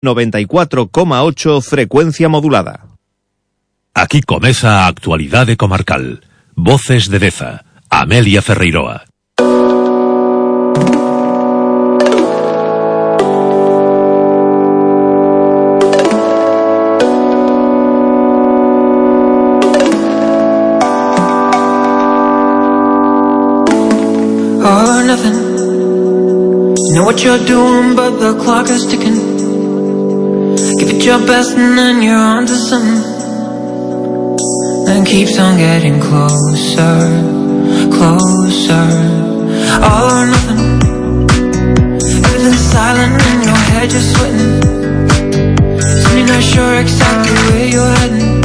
94,8 frecuencia modulada. Aquí comeza a actualidade comarcal. Voces de Deza, Amelia Ferreiroa. All or nothing. You know what you're doing, but the clock is ticking. Give it your best and then you're on to something. And keeps on getting closer, closer. All or nothing. Everything's silent in your head, you're sweating. Soon you're not sure exactly where you're heading.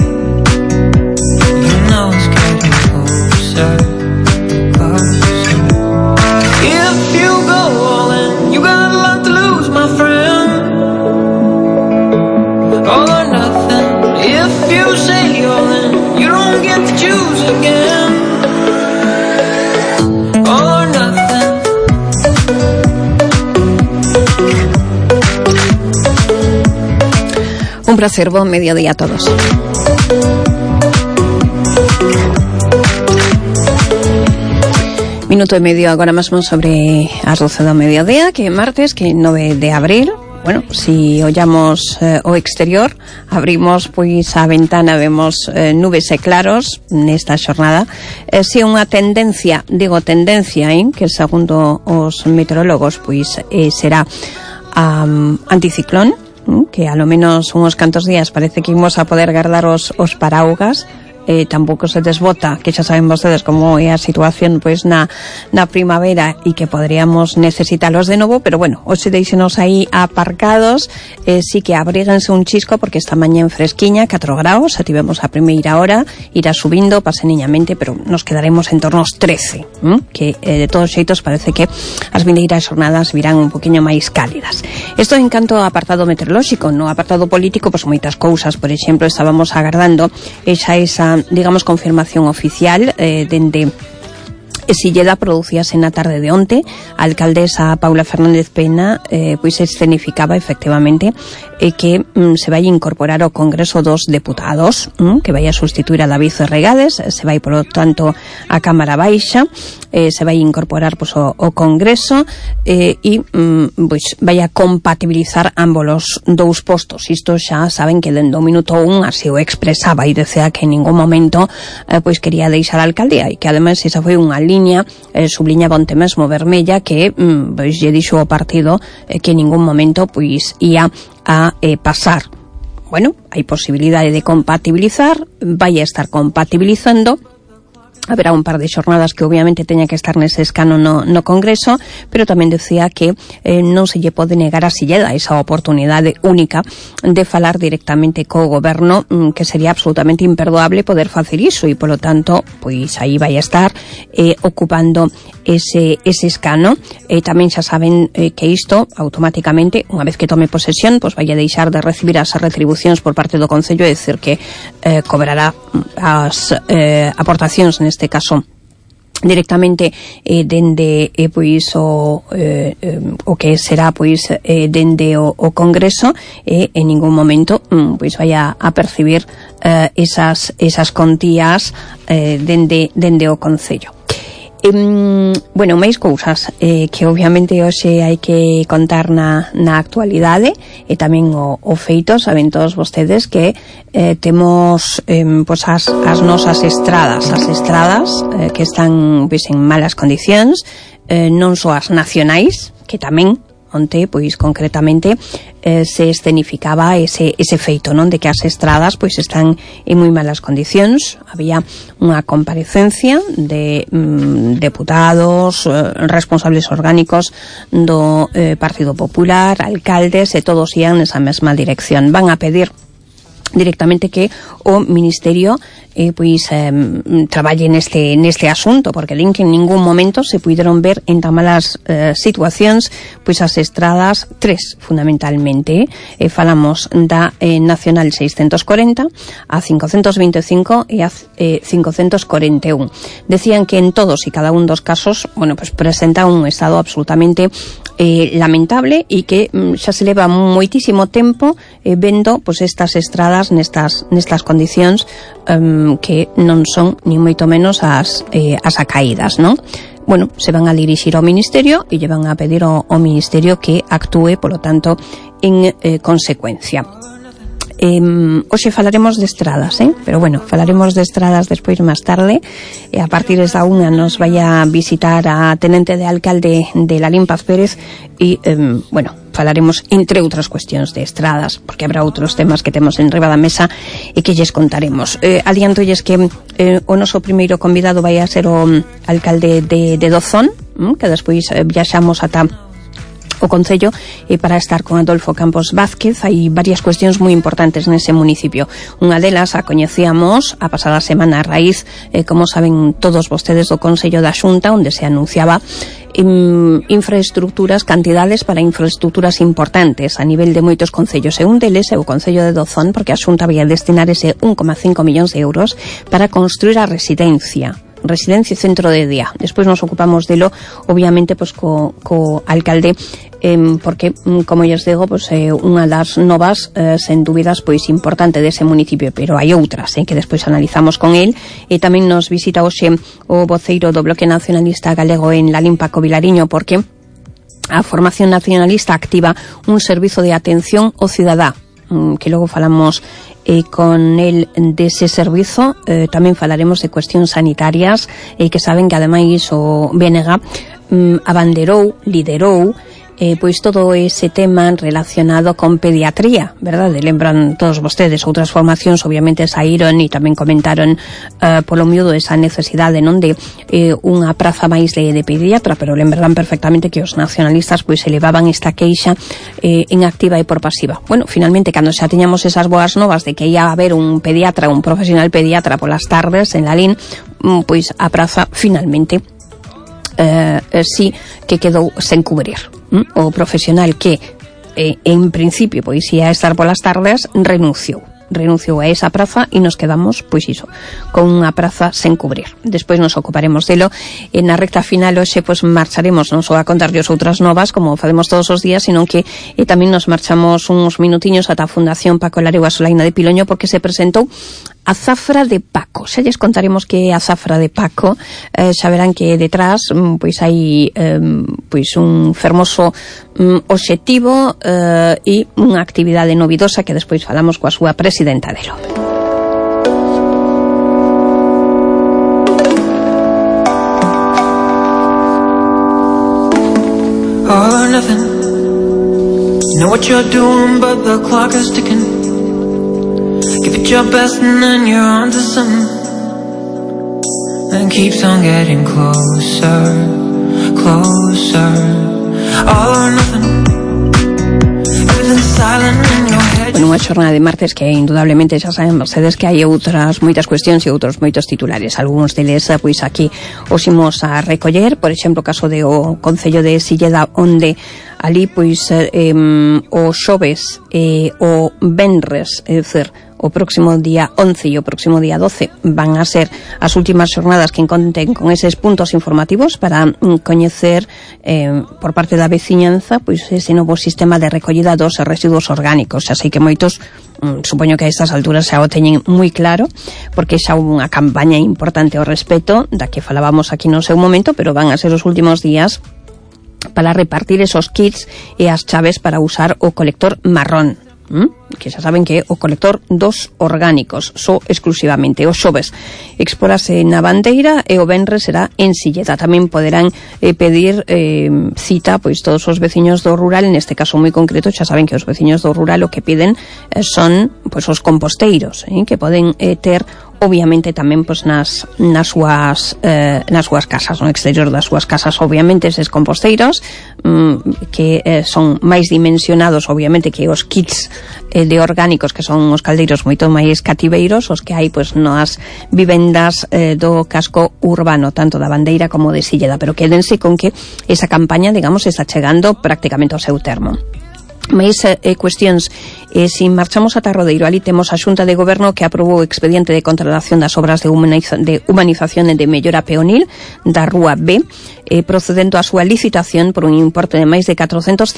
You know it's getting closer, closer. If you go all in, you got a lot to lose, my friend. All or nothing. If you say all in, you don't get to choose again. All or nothing. Un placer, buen mediodía a todos. Minuto e medio agora mesmo sobre as 12 do mediodía, que é martes, que é 9 de abril. Bueno, si ollamos o exterior, abrimos pois a ventana, vemos nubes e claros nesta xornada. Si é unha tendencia, digo tendencia, que segundo os meteorólogos pois será anticiclón, que a lo menos unhos cantos días parece que imos a poder guardar os paraugas. Tampouco se desbota, que xa saben vostedes como é a situación pois na primavera e que poderíamos necesitalos de novo, pero bueno, hoxe deixenos aí aparcados. Sí que abríguense un chisco porque esta mañá en fresquiña, 4 graus, xa tivemos a primeira hora, irá subindo paseniñamente, pero nos quedaremos en torno aos 13, que de todos xeitos parece que as vindeiras xornadas virán un poquinho máis cálidas. Isto en canto ao apartado meteorolóxico. No apartado político, pois moitas cousas. Por exemplo, estábamos agardando esa digamos, confirmación oficial dende Silleda, producíase na tarde de onte. A alcaldesa Paula Fernández Pena pois escenificaba efectivamente que se vai incorporar ao Congreso dos Deputados, que vai a sustituir a David Regades, se vai, por lo tanto, a Cámara Baixa, se vai incorporar pois, o Congreso e pois, vai a compatibilizar ambos os dous postos. Isto xa saben que dende o minuto 1 así o expresaba e decía que en ningún momento pois quería deixar a alcaldía e que ademais esa foi unha liña subliñaba onte mesmo Vermella que pois lle dixo ao partido que en ningún momento pois ia a pasar. Bueno, hai posibilidade de compatibilizar, vai a estar compatibilizando. Haberá un par de xornadas que obviamente teña que estar nese escano no Congreso, pero tamén decía que non se lle pode negar a Silleda esa oportunidade única de falar directamente co goberno, que sería absolutamente imperdoable poder facer iso, e polo tanto, pois aí vai a estar ocupando ese escano. Tamén xa saben que isto automáticamente, unha vez que tome posesión, pois vai a deixar de recibir as retribucións por parte do Concello, é dicir que cobrará as aportacións neste caso directamente dende pois o que será pois dende o Congreso, en ningún momento pois vai a percibir esas contías dende o Concello. Bueno, máis cousas que obviamente hoxe hai que contar na actualidade e tamén o feito. Saben todos vostedes que temos pois as nosas estradas que están pois en malas condicións, non só as nacionais, que tamén onte, pois concretamente se escenificaba ese feito, non, de que as estradas pois están en moi malas condicións. Había unha comparecencia de deputados, responsables orgánicos do Partido Popular, alcaldes, e todos ian nesa mesma dirección. Van a pedir directamente que o Ministerio traballe neste asunto, porque din que en ningún momento se puideron ver en tan malas situacións as estradas tres, fundamentalmente. Falamos da Nacional 640, a 525 e a 541. Decían que en todos e cada un dos casos, presenta un estado absolutamente lamentable e que xa se leva moitísimo tempo vendo estas estradas nestas condicións que non son ni moito menos as acaídas, non? Se van a dirixir ao Ministerio e lle van a pedir ao Ministerio que actúe, polo tanto, en consecuencia. Hoxe falaremos de estradas, pero falaremos de estradas despois máis tarde, e a partir da 1 nos vai a visitar a tenente de alcalde de Lalín Paz Pérez e, falaremos entre outras cuestións de estradas, porque habrá outros temas que temos en riba da mesa e que lles contaremos. Adiantolles que o noso primeiro convidado vai a ser o alcalde de Dozón, que despois viaxamos ata o Concello para estar con Adolfo Campos Vázquez. Hai varias cuestións moi importantes nese municipio. Unha delas a coñecíamos a pasada semana a raíz, como saben todos vostedes, do Consello da Xunta, onde se anunciaba infraestructuras, cantidades para infraestructuras importantes a nivel de moitos concellos, e un deles é o Concello de Dozón, porque a Xunta vai destinar ese 1,5 millóns de euros para construir a residencia centro de día. Despois nos ocupamos delo, obviamente, co alcalde, porque, como lles digo, é unha das novas, sen dúbidas, importante dese municipio, pero hai outras, que despois analizamos con el. E tamén nos visita hoxe o voceiro do Bloque Nacionalista Galego en Lalín, Paco Vilariño, porque a Formación Nacionalista activa un servizo de atención ao cidadá, que logo falamos con el dese servizo. Tamén falaremos de cuestións sanitarias, que saben que ademais o BNG abanderou, liderou todo ese tema relacionado con pediatría, verdade? Lembran todos vostedes, outras formacións obviamente saíron e tamén comentaron polo miúdo esa necesidade, non, de unha praza máis de pediatra, pero lembran perfectamente que os nacionalistas elevaban esta queixa en activa e por pasiva. Finalmente, cando xa tiñamos esas boas novas de que ia haber un pediatra, un profesional pediatra polas tardes en Lalín, a praza finalmente sí que quedou sen cubrir. O profesional que en principio ia estar polas tardes renunciou a esa praza e nos quedamos con unha praza sen cubrir. Despois nos ocuparemos delo. Na recta final hoxe marcharemos non só a contarlles outras novas como facemos todos os días, sino que tamén nos marchamos uns minutiños ata a Fundación Paco Laregua Solaina de Piloño, porque se presentou a Zafra de Paco. Xa lles contaremos que é a Zafra de Paco. Xa verán que detrás hai un fermoso obxectivo e unha actividade novidosa que despois falamos coa súa presidenta delo. All or nothing. You know what you're doing, but the clock is ticking. Give it your best and then you're on to something. And keeps on getting closer, closer. All or nothing. Everything's silent in your head. Unha xornada de martes que indudablemente xa saben vostedes que hai outras moitas cuestións e outros moitos titulares. Algúns deles aquí os imos a recoller, por exemplo, o caso de o Concello de Silleda, onde ali o xoves e o venres, é dicir, o próximo día 11 e o próximo día 12 van a ser as últimas xornadas que conten con eses puntos informativos para coñecer por parte da veciñanza ese novo sistema de recollida dos residuos orgánicos. Xa sei que moitos, supoño que a estas alturas xa o teñen moi claro, porque xa houve unha campaña importante ao respecto da que falábamos aquí no seu momento, pero van a ser os últimos días para repartir esos kits e as chaves para usar o colector marrón, que xa saben que é o colector dos orgánicos, só exclusivamente. O xoves expórase na Bandeira e o venres será en Silleda. Tamén poderán pedir cita todos os veciños do rural. Neste caso moi concreto, xa saben que os veciños do rural o que piden son os composteiros, que poden ter obviamente tamén pois nas súas casas, no exterior das súas casas, obviamente eses composteiros que son máis dimensionados obviamente que os kits de orgánicos, que son os caldeiros moito máis cativeiros, os que hai pois nas vivendas do casco urbano, tanto da Bandeira como de Silleda, pero quédense con que esa campaña, digamos, está chegando prácticamente ao seu termo. Mais cuestións, se marchamos ata Rodeiro, ali temos a Xunta de Goberno que aprobou o expediente de contratación das obras de humanización e de mellora peonil da Rúa B, procedendo a súa licitación por un importe de máis de 450.000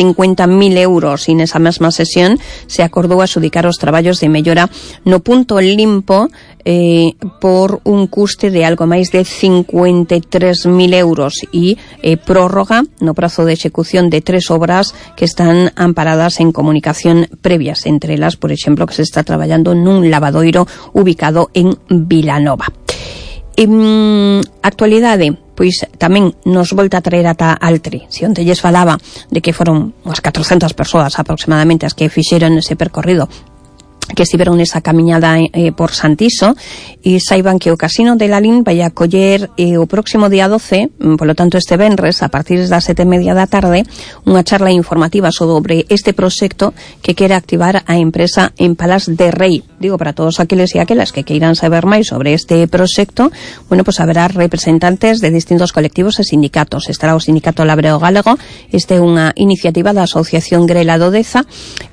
euros, e nesa mesma sesión se acordou adxudicar os traballos de mellora no punto limpo por un custe de algo máis de 53.000 euros e prórroga no prazo de execución de 3 obras que están amparadas en comunicación previas, entre elas, por exemplo, que se está traballando nun lavadoiro ubicado en Vilanova. Actualidade, pois tamén nos volta a traer ata Altri. Se onte lles falaba de que foron unhas 400 persoas aproximadamente as que fixeron ese percorrido, que estiveron nesa camiñada por Santiso, e saiban que o Casino de Lalín vai a coller o próximo día 12, polo tanto este venres, a partir das 7:30 da tarde, unha charla informativa sobre este proxecto que quere activar a empresa en Palas de Rei. Digo, para todos aqueles e aquelas que queiran saber máis sobre este proxecto, bueno, pues haberá representantes de distintos colectivos e sindicatos. Estará o Sindicato Labreo Galego, este é unha iniciativa da Asociación Grela do Deza,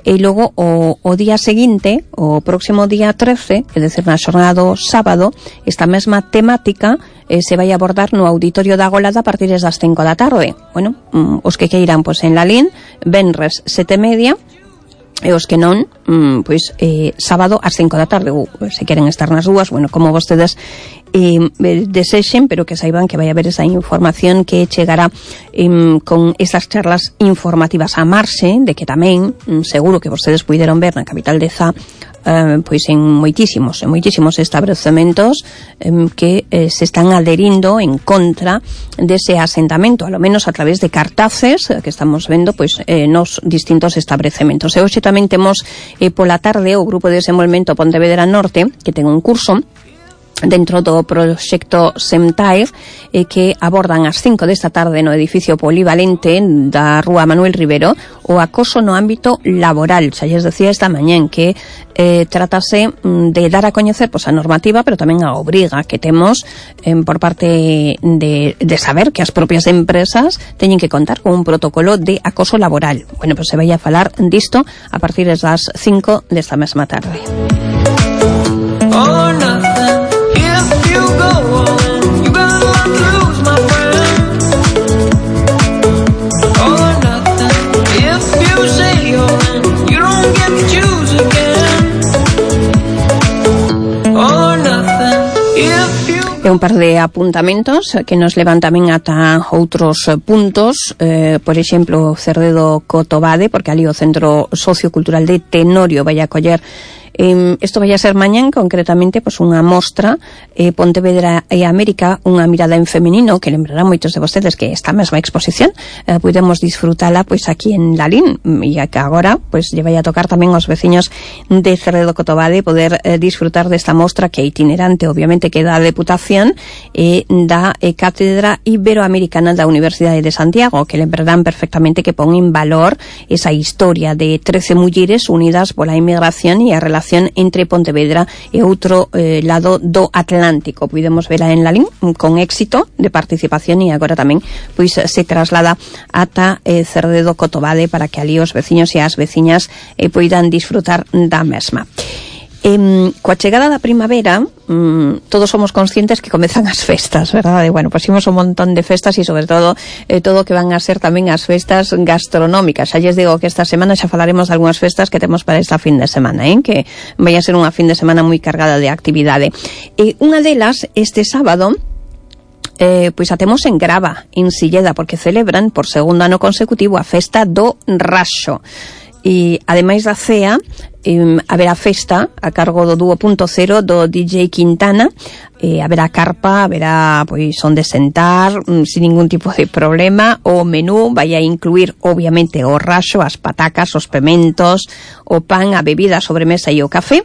e logo o día seguinte, o próximo día 13, é dicir, na xornada do sábado, esta mesma temática se vai abordar no Auditorio da Golada a partir das 5 da tarde. Bueno, os que queiran, pois en Lalín, venres 7:30, e os que non, pois sábado ás 5 da tarde, ou se queren estar nas dúas, bueno, como vostedes desexen, pero que saiban que vai haber esa información que chegará con esas charlas informativas a marxe, de que tamén seguro que vostedes puideron ver na capital de Zá pois en moitísimos establecementos que se están adherindo en contra dese asentamento, a lo menos a través de cartaces que estamos vendo pois nos distintos establecementos. E hoxe tamén temos pola tarde o Grupo de Desenvolvemento Pontevedra Norte, que ten un curso dentro do proxecto Semtair que abordan ás 5 desta tarde no edificio polivalente da Rúa Manuel Rivero o acoso no ámbito laboral. Xa lles decía esta mañán que tratase de dar a coñecer pois a normativa, pero tamén a obriga que temos por parte de saber que as propias empresas teñen que contar con un protocolo de acoso laboral. Bueno, pois se vai a falar disto a partir das 5 desta mesma tarde. Oh, nothing. If you go all in, you got a lot to lose, my friend. Oh, nothing. If you say you're in, you don't get to choose again. Oh, nothing. If you... É un par de apuntamentos que nos levan tamén ata outros puntos, por exemplo, Cerdedo Cotobade, porque ali o Centro Sociocultural de Tenorio vai a coller isto vai a ser mañán, concretamente, pois unha mostra Pontevedra e América, unha mirada en feminino, que lembrará moitos de vostedes que esta mesma exposición podemos disfrutala pois aquí en Lalín, e que agora pois lle vai a tocar tamén aos veciños de Cerredo Cotobade poder disfrutar desta mostra que é itinerante, obviamente, que da Deputación e da Cátedra Iberoamericana da Universidade de Santiago, que lembrarán perfectamente que pon en valor esa historia de 13 mulleres unidas pola inmigración e a relación entre Pontevedra e outro lado do Atlántico. Podemos verla en Lalín con éxito de participación, e agora tamén pois se traslada ata Cerdedo Cotobade para que ali os veciños e as veciñas poidan disfrutar da mesma. Coa chegada da primavera todos somos conscientes que comezan as festas, verdade? Bueno, pois imos un montón de festas e sobre todo todo que van a ser tamén as festas gastronómicas. Xa lles digo que esta semana xa falaremos de algunhas festas que temos para esta fin de semana, que vai a ser unha fin de semana moi cargada de actividade. Unha delas, este sábado, pois a temos en Grava, en Silleda, porque celebran por segundo ano consecutivo a festa do Raxo. E ademais da cea, haberá festa a cargo do Dúo Punto Cero do DJ Quintana, haberá carpa, haberá pois onde sentar sin ningún tipo de problema. O menú vai a incluir obviamente o raxo, as patacas, os pementos, o pan, a bebida, a sobremesa e o café.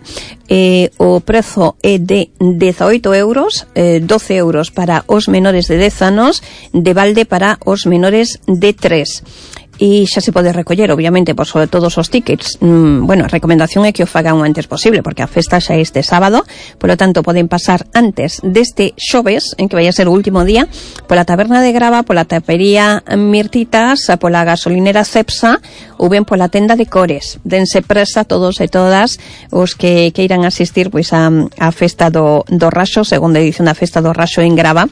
O prezo é de 18 euros, 12 euros para os menores de 10 anos, de balde para os menores de 3. E xa se pode recoller, obviamente, por sobre todos os tickets. Bueno, a recomendación é que o fagan o antes posible, porque a festa xa é este sábado, polo tanto poden pasar antes deste xoves, en que vai a ser o último día, pola taberna de Grava, pola tapería Mirtitas, pola gasolinera Cepsa, ou ben pola tenda de Cores. Dense presa todos e todas os que queiran asistir pois a festa do Raxo, segunda edición da festa do Raxo en Grava.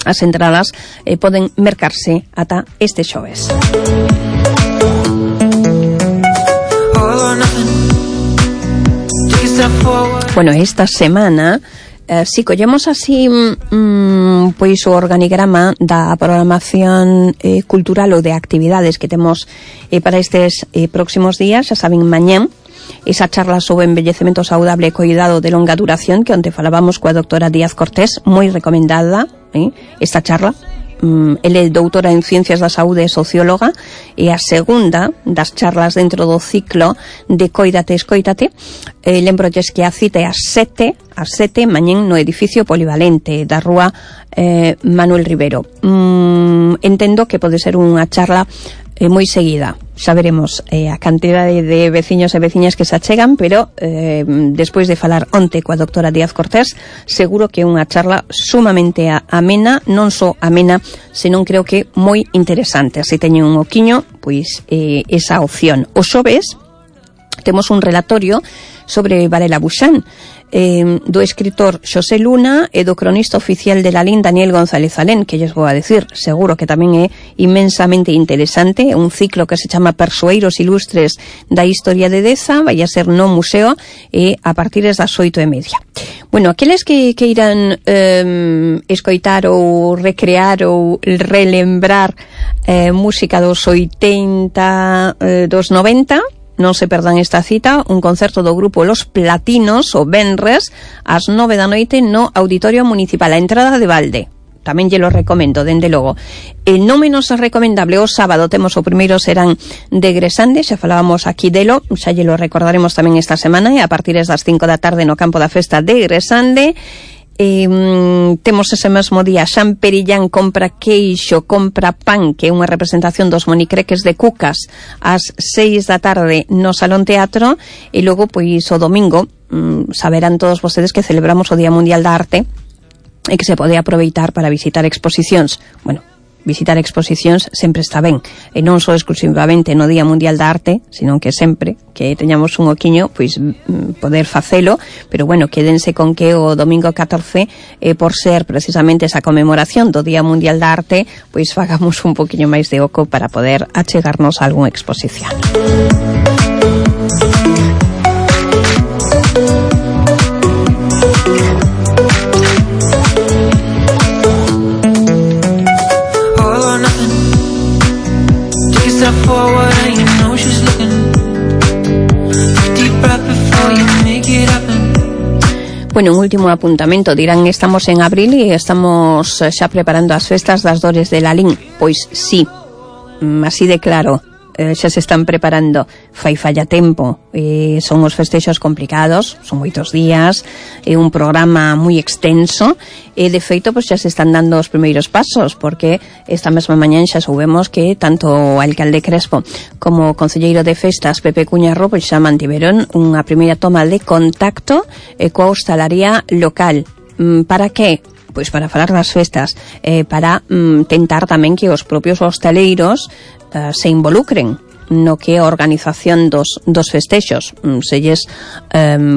As entradas poden mercarse ata este xoves. Bueno, esta semana si collemos así pois o organigrama da programación cultural ou de actividades que temos para estes próximos días, xa saben, mañán esa charla sobre envellecemento saudable e cuidado de longa duración que onte falábamos coa doctora Díaz Cortés, moi recomendada esta charla. Ele é doutora en Ciencias da Saúde e socióloga, e a segunda das charlas dentro do ciclo de Coídate, Escoítate. Lembrolles que a cita é ás 7 mañén no edificio polivalente da rúa Manuel Rivero. Entendo que pode ser unha charla moi seguida. Xa veremos a cantidade de veciños e veciñas que se achegan, pero despois de falar onte coa doctora Díaz Cortés, seguro que é unha charla sumamente amena, non só amena, senón creo que moi interesante. Se teñen un oquiño, pois esa opción. O xoves temos un relatorio sobre Varela Buxán, do escritor Xosé Luna e do cronista oficial de Lalín, Daniel González Alén, que lles vou a decir, seguro que tamén é inmensamente interesante. Un ciclo que se chama Persoeiros Ilustres da Historia de Deza, vai a ser no museo e a partir das 8:30. Bueno, aqueles que queiran escoitar ou recrear ou relembrar música dos 80, dos 90, non se perdan esta cita, un concerto do grupo Los Platinos o venres ás 9 da noite no Auditorio Municipal, a entrada de balde. Tamén lle lo recomendo, dende logo. E non menos recomendable, o sábado temos o primeiro serán de Gresande, xa falábamos aquí delo, xa lle lo recordaremos tamén esta semana, e a partir das 5 da tarde no campo da festa de Gresande. Temos ese mesmo día Xan Perillán compra queixo, compra pan, que é unha representación dos monicreques de Cucas ás 6 da tarde no Salón Teatro. E logo, pois, o domingo saberán todos vostedes que celebramos o Día Mundial da Arte e que se pode aproveitar para visitar exposicións. Bueno, visitar exposicións sempre está ben, e non só exclusivamente no Día Mundial da Arte, senón que sempre que teñamos un oquiño, pois poder facelo. Pero bueno, quédense con que o domingo 14, por ser precisamente esa conmemoración do Día Mundial da Arte, pois fagamos un poquinho máis de oco para poder achegarnos a algunha exposición. Bueno, un último apuntamento, dirán, estamos en abril e estamos xa preparando as festas das Dores de Lalín. Pois sí, así de claro, xa se están preparando, falla tempo, son os festexos complicados, son moitos días, é un programa moi extenso, e de feito pois xa se están dando os primeiros pasos, porque esta mesma mañán xa soubemos que tanto o alcalde Crespo como o concelleiro de festas Pepe Cuñarro pois xa mantiveron unha primeira toma de contacto coa hostalaría local. Para que? Pois para falar das festas, para tentar tamén que os propios hostaleiros se involucren no que a organización dos festexos. Se lles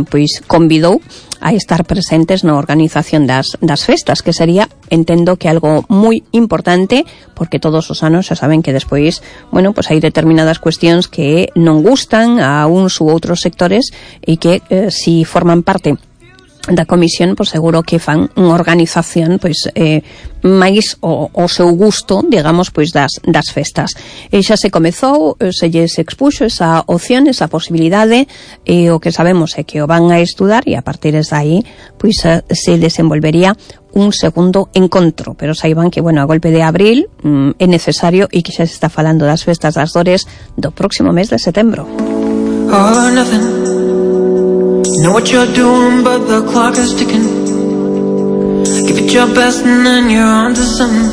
pois convidou a estar presentes na organización das festas, que sería, entendo que algo moi importante, porque todos os anos xa saben que despois, bueno, pois hai determinadas cuestións que non gustan a uns ou outros sectores e que si forman parte da comisión, pois seguro que fan unha organización pois máis o seu gusto, digamos, pois das festas. E xa se comezou, se lles expuxo esa opción, esa posibilidade, e o que sabemos é que o van a estudar e a partir de aí pois se desenvolvería un segundo encontro, pero saiban que, bueno, a golpe de abril é necesario e que xa se está falando das festas das Dores do próximo mes de setembro. All or nothing. Know what you're doing, but the clock is ticking. Give it your best and then you're on to something.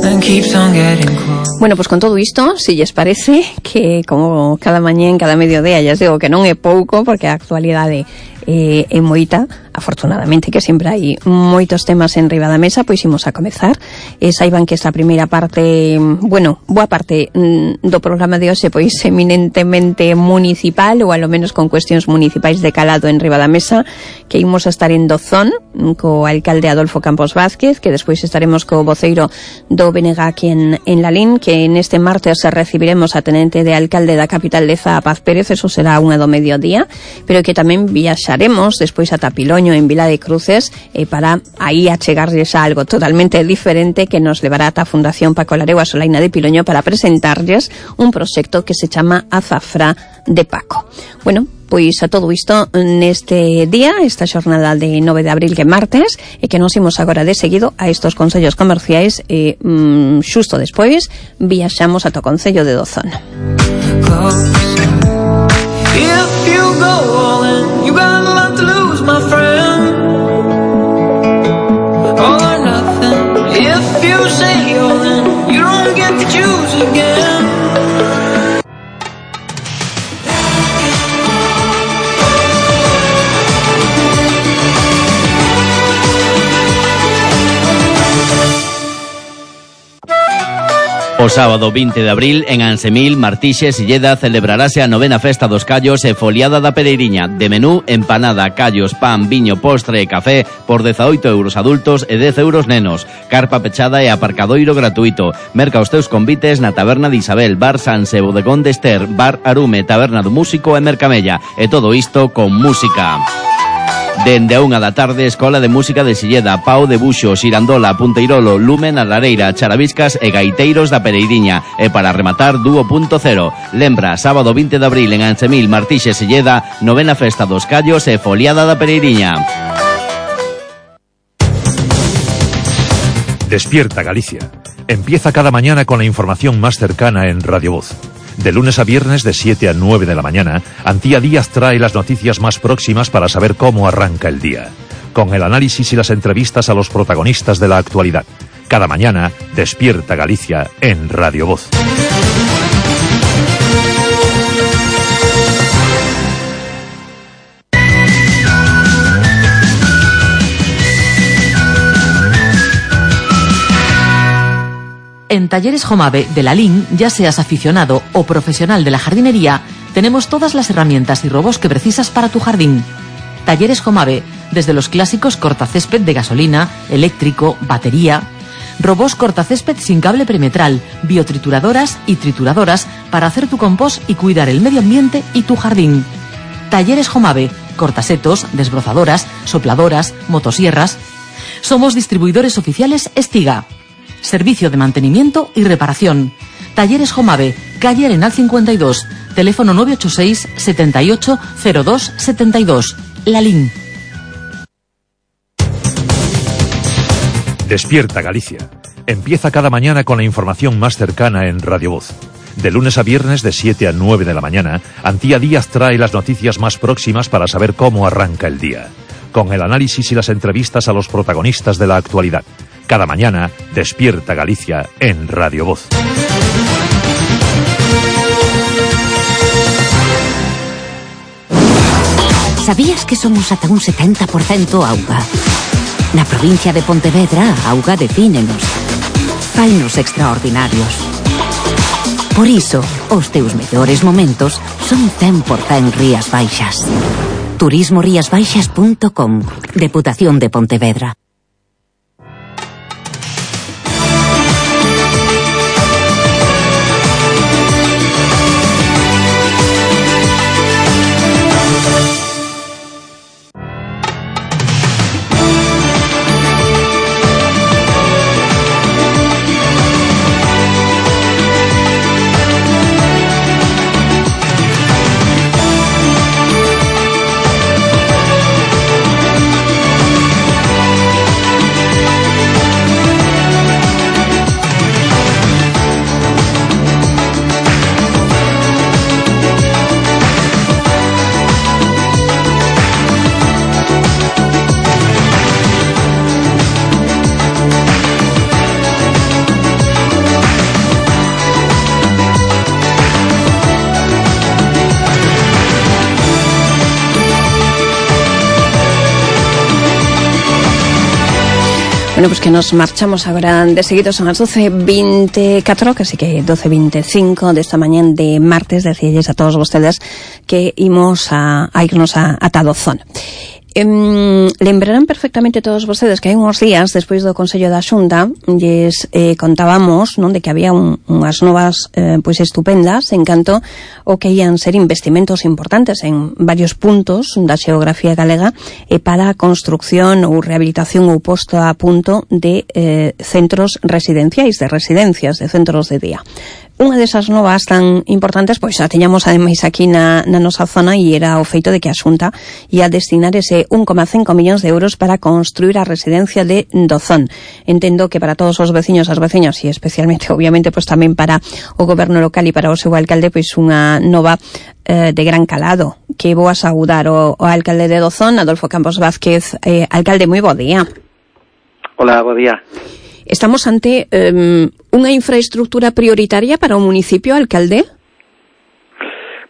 And keeps on getting close. Bueno, pues con todo isto, si lles parece que como cada mañén, cada mediodía, ya digo que non é pouco, porque a actualidade é moita, afortunadamente, que sempre hai moitos temas en riba da mesa, pois imos a comezar. Saiban que esta primeira parte, bueno, boa parte do programa de hoxe, pois eminentemente municipal, ou alo menos con cuestións municipais de calado en riba da mesa, que imos a estar en Dozón, co alcalde Adolfo Campos Vázquez, que despois estaremos co voceiro do BNG aquí en Lalín, que neste martes recibiremos a tenente de alcalde da capital de Zaa, Paz Pérez, eso será unha do mediodía, pero que tamén viaxaremos despois a Tapiloño, en Vila de Cruces, para aí achegarlles a algo totalmente diferente que nos levará ata a Fundación Paco Lareu a Solaina de Piloño para presentarlles un proxecto que se chama Azafra de Paco. Bueno, pois a todo isto neste día, esta xornada de 9 de abril, que é martes, e que nos imos agora de seguido a estos concellos comerciais, e xusto despois viaxamos ata o concello de Dozón. If you go all in, you got a lot to lose, my friend. All or nothing. If you say all in, you don't get to choose again. O sábado 20 de abril, en Ansemil, Martixes e Lleda, celebrarase a 9ª Festa dos Callos e Foliada da Pereiriña. De menú, empanada, callos, pan, viño, postre e café por 18 euros adultos e 10 euros nenos. Carpa pechada e aparcadoiro gratuito. Merca os teus convites na Taberna de Isabel, Bar Sanse, Bodegón de Ester, Bar Arume, Taberna do Músico e Mercamella. E todo isto con música. Dende a 1 da tarde, Escola de Música de Silleda, Pau de Buxo, Xirandola, Punteirolo, Lumen, a Lareira, Charaviscas e Gaiteiros da Pereiriña. E para rematar, Dúo Punto Cero. Lembra, sábado 20 de abril en Ansemil, Martixes, Silleda, 9ª Festa dos Callos e Foliada da Pereiriña. Despierta Galicia. Empieza cada mañana con la información más cercana en Radio Voz. De lunes a viernes de 7 a 9 de la mañana, Antía Díaz trae las noticias más próximas para saber cómo arranca el día, con el análisis y las entrevistas a los protagonistas de la actualidad. Cada mañana, Despierta Galicia en Radio Voz. En Talleres Jomave de Lalín, ya seas aficionado o profesional de la jardinería, tenemos todas las herramientas y robots que precisas para tu jardín. Talleres Jomave, desde los clásicos cortacésped de gasolina, eléctrico, batería, robots cortacésped sin cable perimetral, biotrituradoras y trituradoras para hacer tu compost y cuidar el medio ambiente y tu jardín. Talleres Jomave, cortasetos, desbrozadoras, sopladoras, motosierras. Somos distribuidores oficiales Estiga. Servicio de mantenimiento y reparación. Talleres Jomave, calle Arenal 52, teléfono 986 78 02 72. Lalín. Despierta Galicia. Empieza cada mañana con la información más cercana en Radio Voz. De lunes a viernes de 7 a 9 de la mañana, Antía Díaz trae las noticias más próximas para saber cómo arranca el día, con el análisis y las entrevistas a los protagonistas de la actualidad. Cada mañana, Despierta Galicia en Radio Voz. Sabías que somos ata un 70% auga? Na provincia de Pontevedra, a auga defínenos. Fainos extraordinarios. Por iso, os teus mellores momentos son 100% Rías Baixas. turismoriasbaixas.com. Deputación de Pontevedra. Bueno, pues que nos marchamos agora de seguido, son as 12:24, casi que 12:25 desta mañán de martes. Decíalles a todos vostedes que imos a irnos a Tadozón. Lembrarán perfectamente todos vostedes que hai uns días despois do Consello da Xunta lles contábamos, non, de que había unhas novas pois estupendas en canto o que ian ser investimentos importantes en varios puntos da xeografía galega para a construcción ou rehabilitación ou posto a punto de centros residenciais, de residencias, de centros de día. Unha desas novas tan importantes, pois a teñamos ademais aquí na nosa zona, e era o feito de que a Xunta ia destinar ese 1,5 millóns de euros para construir a residencia de Dozón. Entendo que para todos os veciños, as veciñas, e especialmente, obviamente, pois tamén para o goberno local e para o seu alcalde, pois unha nova de gran calado. Que vou a saudar o alcalde de Dozón, Adolfo Campos Vázquez. Alcalde, moi bo día. Hola, bo día. Estamos ante unha infraestructura prioritaria para o municipio, alcalde?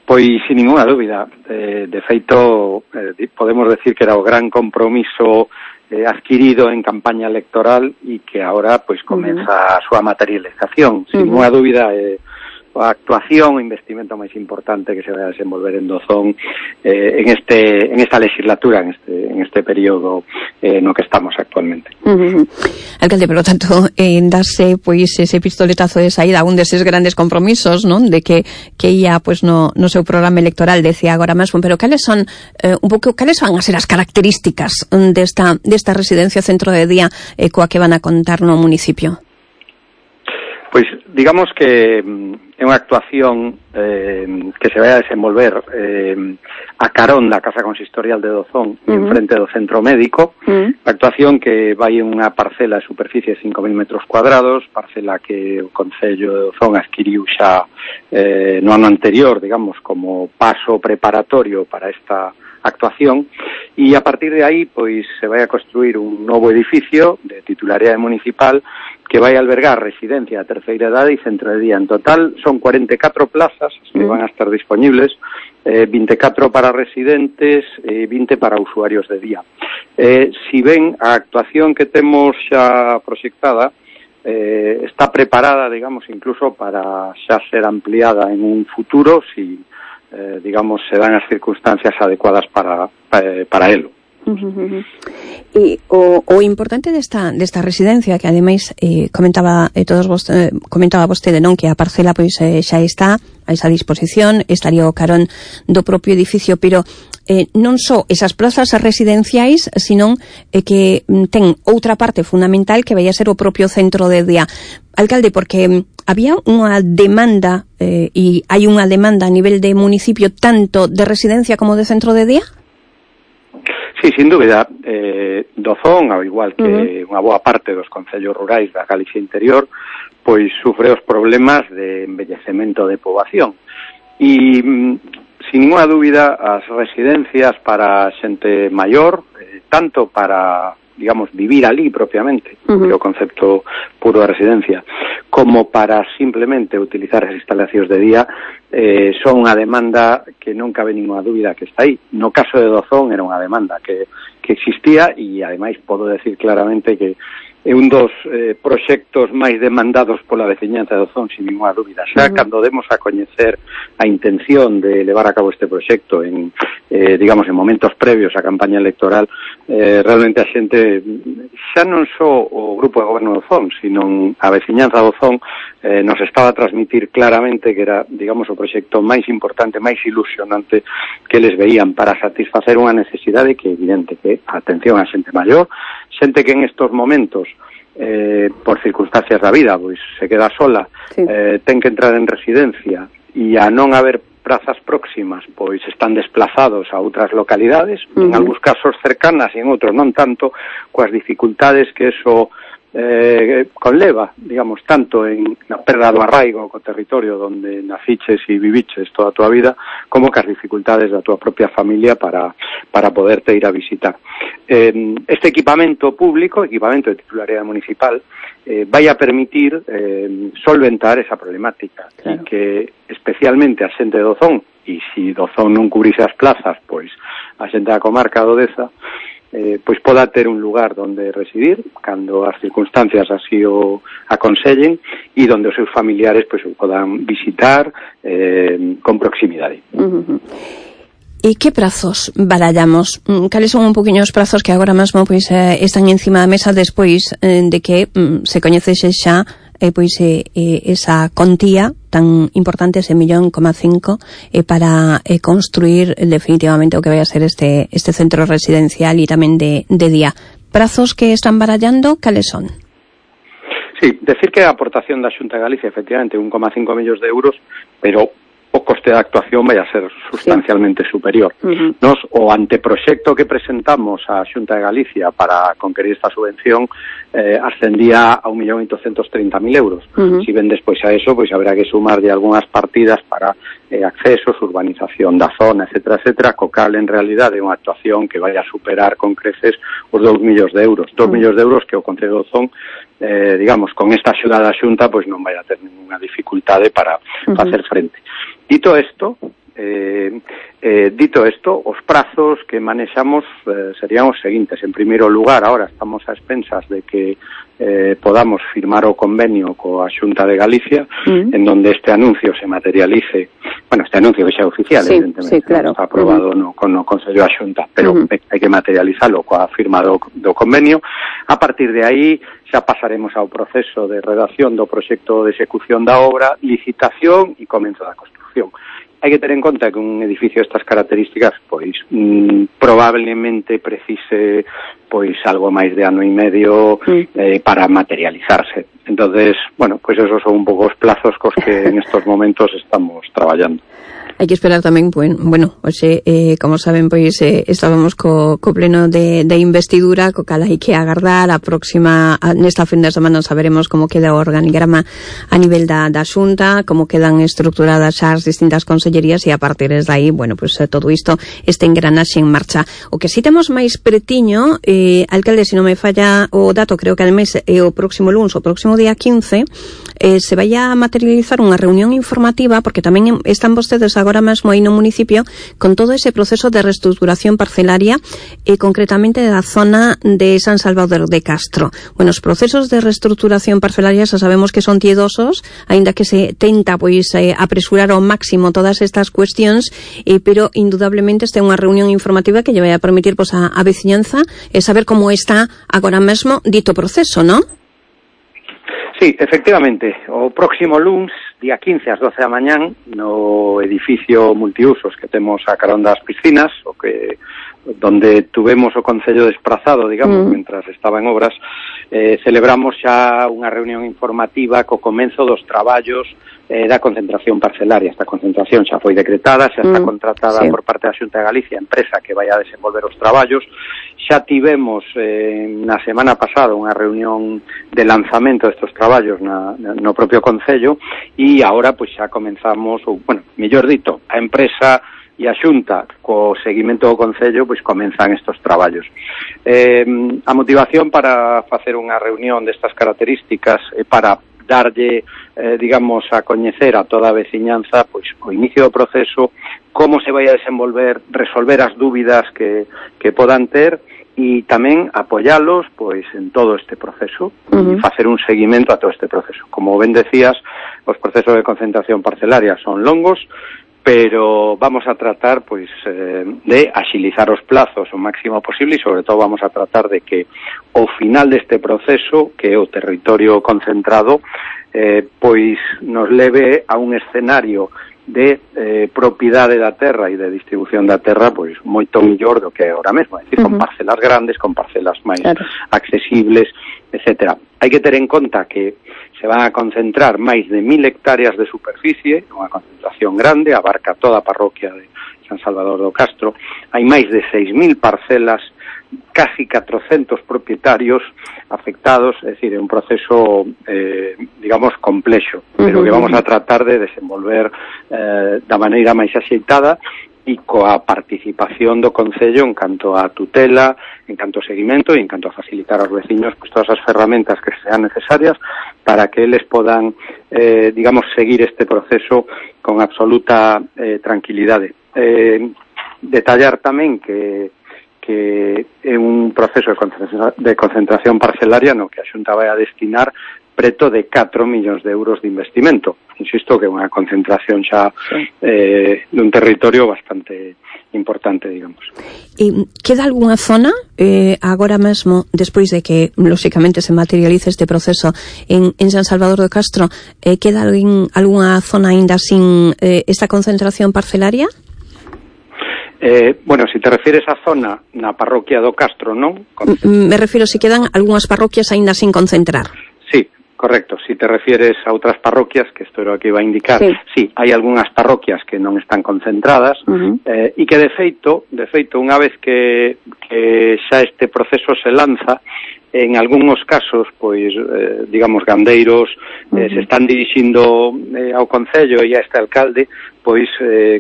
Pois, sin ninguna dúbida. De feito, podemos decir que era o gran compromiso adquirido en campaña electoral e que ahora pois comeza a súa materialización. Sin ninguna dúbida, a actuación, o investimento máis importante que se vai a desenvolver en Dozón en esta legislatura, en este período no que estamos actualmente. Alcalde, por lo tanto, darse pois ese pistoletazo de saída a un deses grandes compromisos, non, de que ia pois no seu programa electoral, decía agora mesmo, pero cales son cales van a ser as características desta residencia centro de día coa que van a contar no municipio? Pois digamos que é unha actuación que se vai a desenvolver a carón da Casa Consistorial de Dozón, en frente do Centro Médico. Actuación que vai en unha parcela de superficie de 5.000 metros cuadrados, parcela que o Concello de Dozón adquiriu xa no ano anterior, digamos, como paso preparatorio para esta actuación, e a partir de aí pois se vai a construir un novo edificio de titularidade municipal que vai albergar residencia de terceira idade e centro de día. En total son 44 plazas que van a estar disponibles, 24 para residentes e 20 para usuarios de día. Si ben a actuación que temos xa proxectada está preparada, digamos, incluso para xa ser ampliada en un futuro si digamos, se dan as circunstancias adecuadas para elo. E o importante desta residencia, que ademais comentaba vostede, non, que a parcela pois xa está a esa disposición, estaría o carón do propio edificio, pero non só esas plazas residenciais, sino que ten outra parte fundamental que vai a ser o propio centro de día. Alcalde, porque había unha demanda e hai unha demanda a nivel de municipio tanto de residencia como de centro de día? Sí, sin dúbida. Dozón, ao igual que unha boa parte dos concellos rurais da Galicia interior, pois sufre os problemas de envellecemento de poboación. E, sin ninguna dúbida, as residencias para xente maior, tanto para, digamos, vivir ali propiamente, que é o concepto puro de residencia, como para simplemente utilizar as instalacións de día, son unha demanda que non cabe ninguna dúbida que está aí. No caso de Dozón era unha demanda que existía e, ademais, podo decir claramente que é un dos proxectos máis demandados pola veciñanza de Dozón, sin ninguna dúbida. Xa cando demos a coñecer a intención de levar a cabo este proxecto en, digamos, en momentos previos á campaña electoral, realmente a xente, xa non só o grupo de goberno de Dozón, sino a veciñanza de Dozón, nos estaba a transmitir claramente que era, digamos, o proxecto máis importante, máis ilusionante que les veían para satisfacer unha necesidade que é evidente, que a atención a xente maior, xente que en estos momentos por circunstancias da vida pois se queda sola, ten que entrar en residencia e a non haber prazas próximas pois están desplazados a outras localidades, en algúns casos cercanas e en outros non tanto, coas dificultades que eso conleva, digamos, tanto en na perda do arraigo co territorio onde naciches e viviches toda a tua vida, como que as dificultades da tua propia familia para poderte ir a visitar. Este equipamento público, equipamento de titularidade municipal, vai a permitir solventar esa problemática, e que especialmente a xente de Dozón, e se Dozón non cubrise as plazas, pois a xente da comarca do Deza, pois poda ter un lugar donde residir cando as circunstancias así o aconsellen e donde os seus familiares pois o podan visitar con proximidade. E que prazos barallamos? Cales son un poquinho os prazos que agora mesmo pois están encima da mesa despois de que se coñecese xa pois esa contía tan importante, ese 1,5 millón para construir definitivamente o que vai a ser este centro residencial e tamén de día. Prazos que están barallando, cales son? Sí, decir que a aportación da Xunta de Galicia efectivamente 1,5 millóns de euros, pero o coste da actuación vai a ser sustancialmente superior. Nos, o anteproxecto que presentamos á Xunta de Galicia para conquerir esta subvención ascendía a 1.830.000 euros. Si ven despois a eso, pois haberá que sumar de algunhas partidas para accesos, urbanización da zona, etcétera, co cal en realidade é unha actuación que vai a superar con creces os 2 millóns de euros. 2 millóns de euros que o Concello de Ozón digamos, con esta axuda da Xunta pois non vai a ter ninguna dificultade para facer frente. Dito esto, os prazos que manexamos serían os seguintes. En primeiro lugar, ahora estamos a expensas de que podamos firmar o convenio coa Xunta de Galicia, en donde este anuncio se materialice. Bueno, este anuncio que xa é oficial, evidentemente, claro. Está aprobado no Consello da Xunta, pero hai que materializalo coa firma do convenio. A partir de aí xa pasaremos ao proceso de redacción do proxecto de execución da obra, licitación e comenzo da construción. Hai que ter en conta que un edificio de estas características pois probablemente precise pois algo máis de ano e medio para materializarse. Entonces, bueno, pois esos son un pouco os plazos cos que en estos momentos estamos traballando. Hai que esperar tamén, bueno, hoxe, como saben, pois estábamos co pleno de investidura, co cal hai que agardar a próxima, nesta fin de semana saberemos como queda o organigrama a nivel da Xunta, como quedan estructuradas xa as distintas consellerías e a partir de aí, bueno, pois todo isto este engranaxe en marcha. O que si temos máis pretiño, alcalde, se non me falla o dato, creo que al mes o próximo lunes, o próximo día 15, se vai a materializar unha reunión informativa, porque tamén están vostedes agora mesmo aí no municipio con todo ese proceso de reestructuración parcelaria e concretamente da zona de San Salvador de Castro. Bueno, os procesos de reestructuración parcelaria xa sabemos que son tiedosos, aínda que se tenta pois apresurar ao máximo todas estas cuestións, pero indudablemente esta é unha reunión informativa que lle vai a permitir pois a veciñanza saber como está agora mesmo dito proceso, non? Sí, efectivamente, o próximo luns, día 15 ás 12 da mañán, no edificio multiusos que temos a carón das piscinas, donde tuvemos o Concello desprazado, digamos, mentras estaba en obras, celebramos xa unha reunión informativa co comenzo dos traballos da concentración parcelaria. Esta concentración xa foi decretada, xa está contratada por parte da Xunta de Galicia, empresa que vai a desenvolver os traballos. Xa tivemos na semana pasada unha reunión de lanzamento destes traballos no propio Concello e agora pois xa comenzamos, mellor dito, a empresa e a Xunta co seguimento do Concello pois comenzan estes traballos. A motivación para facer unha reunión destas características é para darlle, digamos, a coñecer a toda a veciñanza pois o inicio do proceso, como se vai a desenvolver, resolver as dúbidas que podan ter e tamén apoialos pois en todo este proceso e facer un seguimento a todo este proceso. Como ben decías, os procesos de concentración parcelaria son longos, pero vamos a tratar pois de axilizar os plazos o máximo posible e sobre todo vamos a tratar de que ao final deste proceso, que é o territorio concentrado, pois nos leve a un escenario de propiedade da terra e de distribución da terra pois moito mellor do que é ahora mesmo, é dicir, con parcelas grandes, con parcelas máis accesibles, etcétera. Hai que ter en conta que se van a concentrar máis de 1.000 hectáreas de superficie, unha concentración grande, abarca toda a parroquia de San Salvador do Castro, hai máis de 6.000 parcelas, casi 400 propietarios afectados, é dicir, é un proceso, digamos, complexo, pero que vamos a tratar de desenvolver da maneira máis axeitada e coa participación do Concello en canto a tutela, en canto a seguimento e en canto a facilitar aos veciños pues, todas as ferramentas que sean necesarias para que eles podan, digamos, seguir este proceso con absoluta tranquilidade. Detallar tamén que que é un proceso de concentración parcelaria no que a Xunta vai a destinar preto de 4 millóns de euros de investimento. Insisto que é unha concentración xa dun territorio bastante importante, digamos. E queda algunha zona agora mesmo, despois de que lóxicamente se materialice este proceso en San Salvador do Castro, queda algunha zona aínda sin esta concentración parcelaria? Bueno, si te refieres á zona na parroquia do Castro, non? Me refiro si quedan algunhas parroquias aínda sin concentrar. Sí, correcto. Si te refieres a outras parroquias, que isto era o que iba a indicar, sí, hai algunhas parroquias que non están concentradas e que de feito, unha vez que xa este proceso se lanza, en algúns casos, pois, digamos, gandeiros se están dirixindo ao Concello e a este alcalde, pois,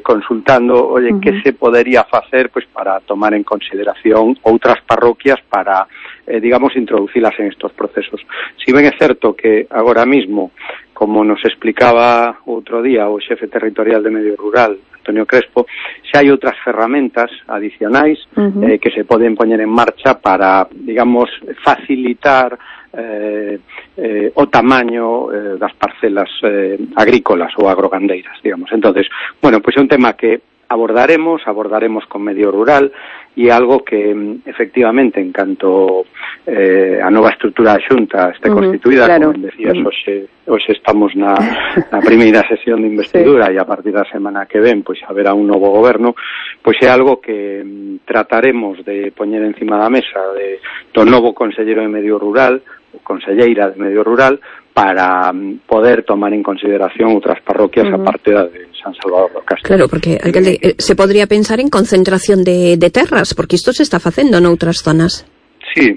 consultando, oye, que se podería facer, pois, para tomar en consideración outras parroquias para, digamos, introducilas en estos procesos. Si ben é certo que agora mismo, como nos explicaba outro día o xefe territorial de Medio Rural, Antonio Crespo, xa hai outras ferramentas adicionais que se poden poñer en marcha para, digamos, facilitar o tamaño das parcelas agrícolas ou agrogandeiras, digamos. Entonces, bueno, pues é un tema que abordaremos con Medio Rural e algo que efectivamente en canto a nova estrutura da Xunta este constituída, claro, como decías, hoxe estamos na primeira sesión de investidura e a partir da semana que ven pois haberá un novo goberno, pois é algo que trataremos de poñer encima da mesa do novo conselleiro de Medio Rural, conselleira de Medio Rural, para poder tomar en consideración outras parroquias aparte da de San Salvador do Castro. Claro, porque, alcalde, se podría pensar en concentración de terras, porque isto se está facendo noutras zonas. Sí,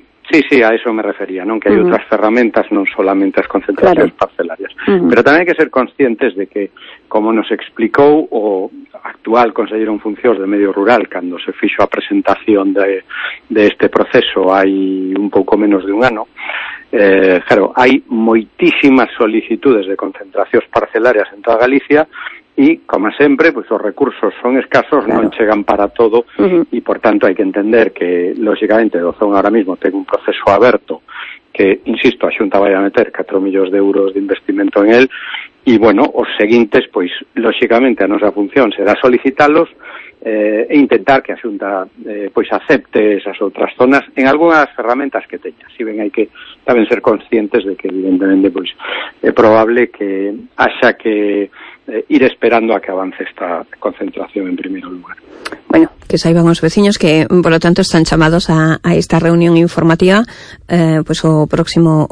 a eso me refería, non? Que hai outras ferramentas, non solamente as concentracións parcelarias. Pero tamén hai que ser conscientes de que, como nos explicou o actual conselleiro en funcións de Medio Rural cando se fixo a presentación de este proceso hai un pouco menos de un ano, claro, hai moitísimas solicitudes de concentracións parcelarias en toda Galicia e, como sempre, pues, os recursos son escasos, non chegan para todo e, por tanto, hai que entender que, lóxicamente, Dozón ahora mismo ten un proceso aberto que, insisto, a Xunta vai a meter 4 millóns de euros de investimento en el e, bueno, os seguintes, pois, lóxicamente, a nosa función será solicitalos e intentar que a Xunta pois acepte esas outras zonas en algunhas ferramentas que teña. Si ben hai que tamén ser conscientes de que evidentemente pois é probable que haxa que ir esperando a que avance esta concentración en primeiro lugar. Bueno, que saiban os veciños que, por lo tanto, están chamados a esta reunión informativa pues o próximo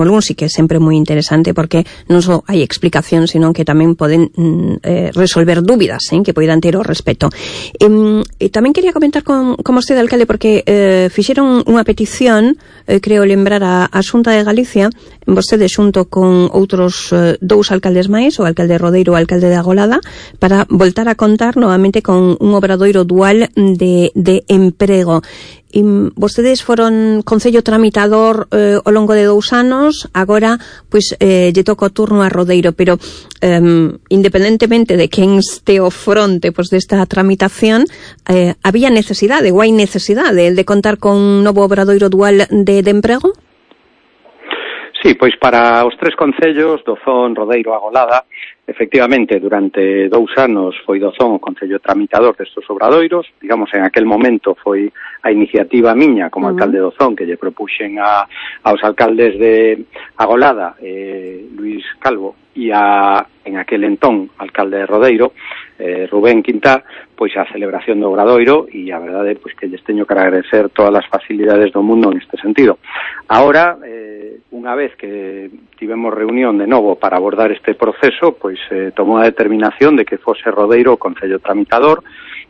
lunes, e que é sempre moi interesante porque non só hai explicación, sino que tamén poden resolver dúbidas que poidan ter ao respecto. E tamén quería comentar con vostede, alcalde, porque fixeron unha petición, creo lembrar a Xunta de Galicia, vostede xunto con outros dous alcaldes máis, o alcalde Rodeiro e o alcalde de Agolada, para voltar a contar novamente con un obradoiro dual de emprego. E vostedes foron concello tramitador ao longo de 2 anos, agora pois lle toca o turno a Rodeiro, pero independentemente de quen este ao fronte pois desta tramitación, había necesidade, ou hai necesidade de contar con un novo obradoiro dual de emprego? Sí, pois para os 3 concellos, Dozón, Rodeiro, Agolada, efectivamente, durante 2 anos foi Dozón o concello tramitador destes obradoiros. Digamos, en aquel momento foi a iniciativa miña como alcalde de Dozón que lle propuxen aos alcaldes de Agolada, Luis Calvo, e en aquel entón alcalde de Rodeiro, Rubén Quintá, pois a celebración do obradoiro, e a verdade pois que lles teño que agradecer todas as facilidades do mundo neste sentido. Ahora, unha vez que tivemos reunión de novo para abordar este proceso, pois tomou a determinación de que fose Rodeiro o concello tramitador,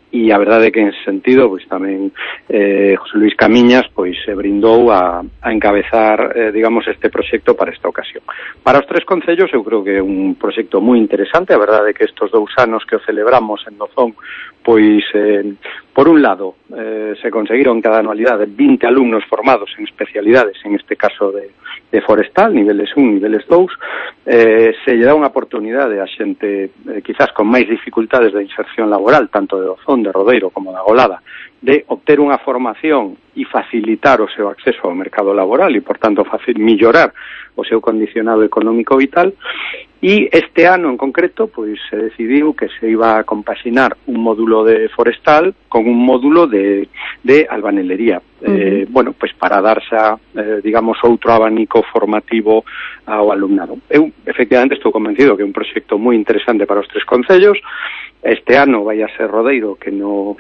e a verdade é que en ese sentido pois tamén José Luis Camiñas pois se brindou a encabezar digamos este proxecto para esta ocasión. Para os 3 concellos eu creo que é un proxecto moi interesante. A verdade é que estes 2 anos que o celebramos en Dozón pois por un lado se conseguiron cada anualidade 20 alumnos formados en especialidades, en este caso de forestal, niveles 1, niveles 2, se lle dá unha oportunidade a xente quizás con máis dificultades de inserción laboral, tanto de Dozón, de Rodeiro como de Agolada, de obter unha formación e facilitar o seu acceso ao mercado laboral e, por tanto, mellorar o seu condicionado económico vital. E este ano en concreto pois se decidiu que se iba a compaxinar un módulo de forestal con un módulo de albanelería. Bueno, pois para darse digamos, outro abanico formativo ao alumnado. Eu, efectivamente, estou convencido que é un proxecto moi interesante para os 3 concellos. Este ano vai a ser Rodeiro que no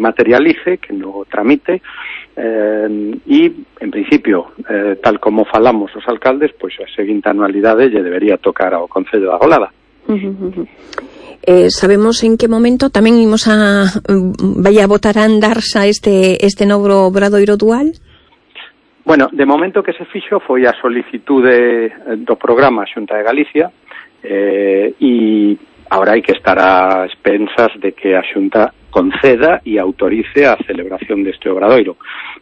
materialice, que no tramite, e, en principio, tal como falamos os alcaldes, pois a seguinte anualidade lle debería tocar ao Concello da Golada. Sabemos en que momento tamén imos vai a botar a andarse este novo obradoiro dual? Bueno, de momento que se fixo foi a solicitude do programa Xunta de Galicia, e agora hai que estar a expensas de que a Xunta conceda e autorice a celebración deste obradoiro.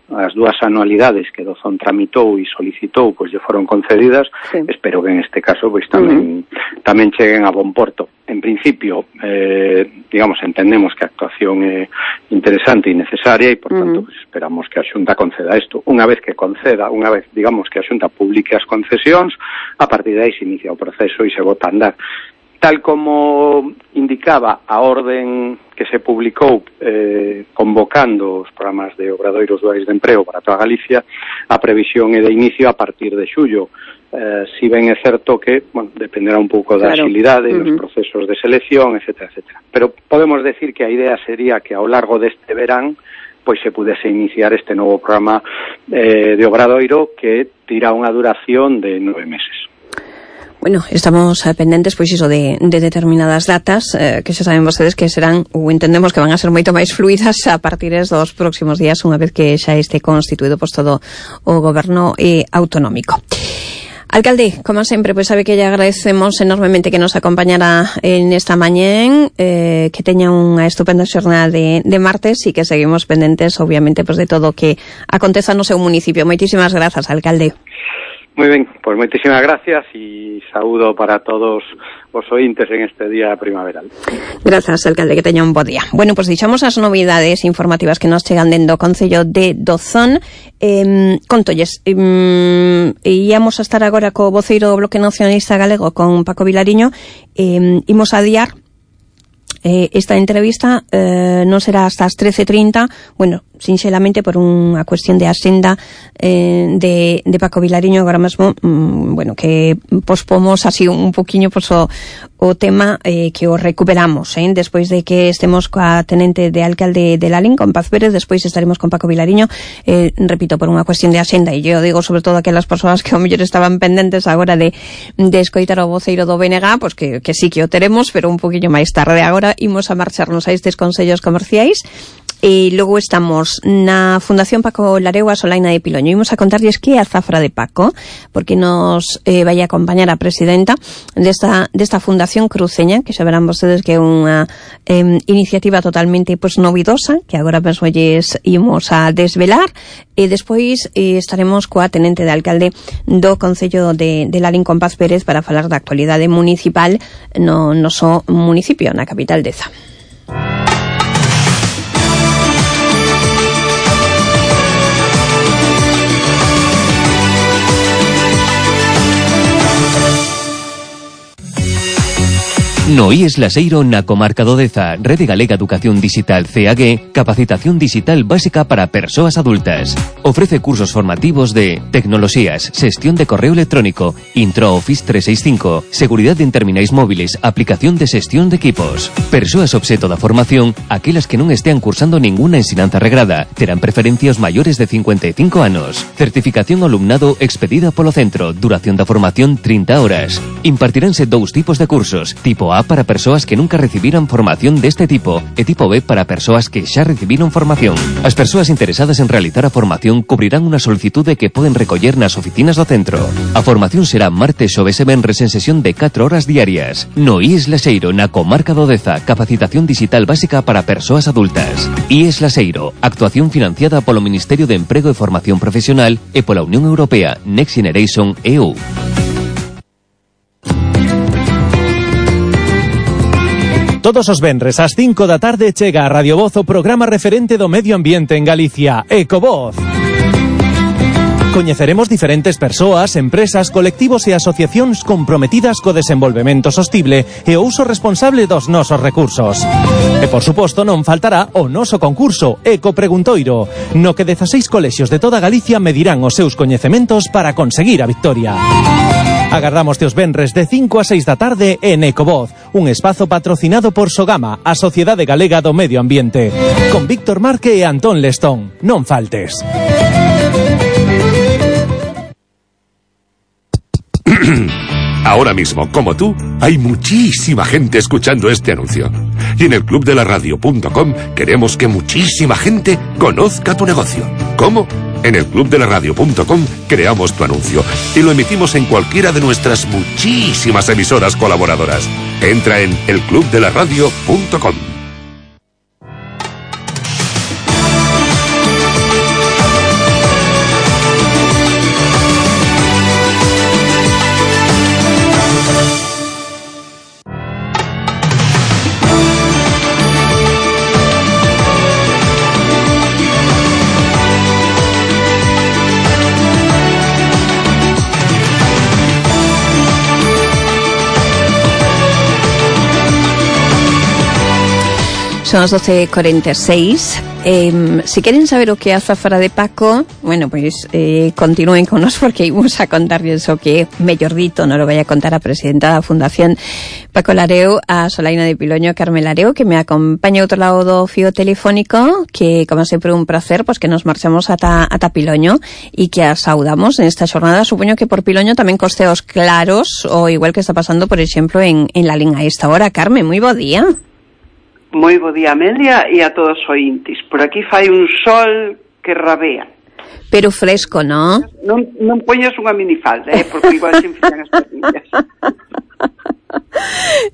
As 2 anualidades que Dozón tramitou e solicitou, pois lle foron concedidas. Sí. Espero que en este caso pois tamén cheguen a bon porto. En principio, digamos, entendemos que a actuación é interesante e necesaria e, por tanto, pues, esperamos que a Xunta conceda isto. Unha vez que conceda, unha vez, digamos, que a Xunta publique as concesións, a partir de aí se inicia o proceso e se bota a andar. Tal como indicaba a orden que se publicou convocando os programas de obradoiros duais de emprego para toda Galicia, a previsión é de inicio a partir de xullo. Si ben é certo que, bueno, dependerá un pouco da agilidade, dos procesos de selección, etcétera, etcétera. Pero podemos decir que a idea sería que ao largo deste verán pois se pudese iniciar este novo programa de obradoiro que tira unha duración de 9 meses. Bueno, estamos pendentes, pois iso de determinadas datas que xa saben vostedes que serán, ou entendemos que van a ser moito máis fluidas a partir dos próximos días, unha vez que xa este constituído pois todo o goberno autonómico. Alcalde, como sempre, pois sabe que lle agradecemos enormemente que nos acompañara en esta mañén, que teña unha estupenda xornada de martes e que seguimos pendentes, obviamente, pois de todo o que aconteza no seu municipio. Moitísimas grazas, alcalde. Moi ben, pois moitísimas gracias e saúdo para todos os ointes en este día primaveral. Grazas, alcalde, que teña un bo día. Bueno, pois deixamos as novidades informativas que nos chegan dentro do Concello de Dozón. Contolles, íamos a estar agora co voceiro do Bloque Nacionalista Galego, con Paco Vilariño. Imos adiar esta entrevista, non será hasta as 13:30, bueno, sinxelamente por unha cuestión de axenda de Paco Vilariño agora mesmo, bueno, que pospomos así un poquinho pois o tema que o recuperamos, despois de que estemos coa tenente de alcalde de Lalín, con Paz Pérez, despois estaremos con Paco Vilariño, repito, por unha cuestión de axenda, e eu digo sobre todo aquelas persoas que ao mellor estaban pendentes agora de escoitar o voceiro do BNG, pois que sí que o teremos, pero un poquinho máis tarde. Agora imos a marcharnos a estes consellos comerciais. E logo estamos na Fundación Paco Lareu a Solaina de Piloño. Imos a contarlles que é a zafra de Paco, porque nos vai a acompañar a presidenta desta Fundación Cruceña, que xa verán vostedes que é unha iniciativa totalmente novidosa, que agora mesmo lles imos a desvelar, e despois estaremos coa tenente de alcalde do Concello de Lalín, con Paz Pérez, para falar da actualidade municipal no noso municipio, na capital Deza. No IES Laseiro na comarca do Deza, Rede Galega Educación Digital CAG, capacitación digital básica para persoas adultas. Ofrece cursos formativos de tecnoloxías, xestión de correo electrónico, Intro Office 365, seguridade en terminais móviles, aplicación de xestión de equipos. Persoas obxeto da formación, aquelas que non estean cursando ninguna ensinanza regrada, terán preferencia os maiores de 55 anos. Certificación ao alumnado expedida polo centro, duración da formación 30 horas. Impartiránse 2 tipos de cursos, tipo A para persoas que nunca recibiran formación deste tipo e tipo B para persoas que xa recibiron formación. As persoas interesadas en realizar a formación cubrirán unha solicitude que poden recoller nas oficinas do centro. A formación será martes, xoves e venres en sesión de 4 horas diarias. No IES Laseiro, na comarca do Deza, capacitación digital básica para persoas adultas. IES Laseiro, actuación financiada polo Ministerio de Emprego e Formación Profesional e pola Unión Europea Next Generation EU. Todos os venres ás 5 da tarde chega a Radio Voz o programa referente do medio ambiente en Galicia, Ecovoz. Coñeceremos diferentes persoas, empresas, colectivos e asociacións comprometidas co desenvolvemento sostible e o uso responsable dos nosos recursos. E, por suposto, non faltará o noso concurso Ecopreguntoiro, no que 16 colexios de toda Galicia medirán os seus coñecementos para conseguir a victoria. Agardamos os venres de 5 a 6 da tarde en Ecovoz, un espazo patrocinado por Sogama, a Sociedade Galega do Medio Ambiente, con Víctor Marque e Antón Lestón. Non faltes. Ahora mismo, como tú, hay muchísima gente escuchando este anuncio. Y en el clubdelaradio.com queremos que muchísima gente conozca tu negocio. ¿Cómo? En el clubdelaradio.com creamos tu anuncio y lo emitimos en cualquiera de nuestras muchísimas emisoras colaboradoras. Entra en elclubdelaradio.com. Son as 12:46. Si queren saber o que é a azafra de Paco, bueno, pois continúen con nos porque imos a contarles o que é mellor dito, non lo vai a contar a presidenta da Fundación Paco Lareo, a Solaina de Piloño, Carmen Lareo, que me acompaña outro lado do fío telefónico, que como sempre un placer, pois que nos marchamos ata Piloño e que a saudamos en esta xornada. Supoño que por Piloño tamén costeos claros, o igual que está pasando, por exemplo, en la Lín a esta hora. Carmen, moi bo día. Moi bo día, Amelia, e a todos os ointes. Por aquí fai un sol que rabea. Pero fresco, non? Non poñas unha minifalda, porque igual se enfrían as patillas.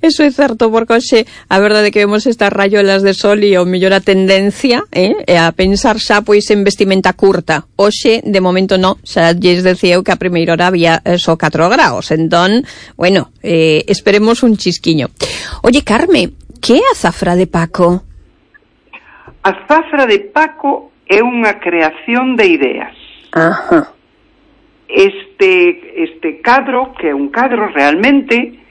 Eso é certo, porque hoxe a verdade é que vemos estas rayolas de sol e o mellor a tendencia é a pensar xa pois en vestimenta curta. Hoxe, de momento, non, xa lles decía eu que a primeira hora había só 4 graus. Entón, bueno, esperemos un chisquiño. Oye, Carmen, que é a azafra de Paco? A azafra de Paco é unha creación de ideas. Ajá. Este cadro, que é un cadro realmente,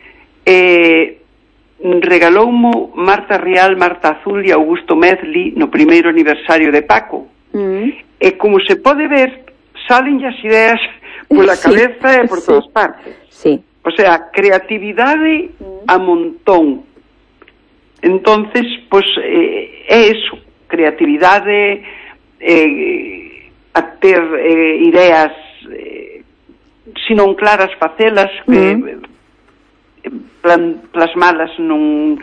regaloumo Marta Rial, Marta Azul e Augusto Medley no primeiro aniversario de Paco. E como se pode ver, salen as ideas pola cabeza e por todas partes. Sí. O sea, creatividade a montón. Entonces, pues é eso, creatividade, a ter ideas, se non claras, facelas, plasmalas nun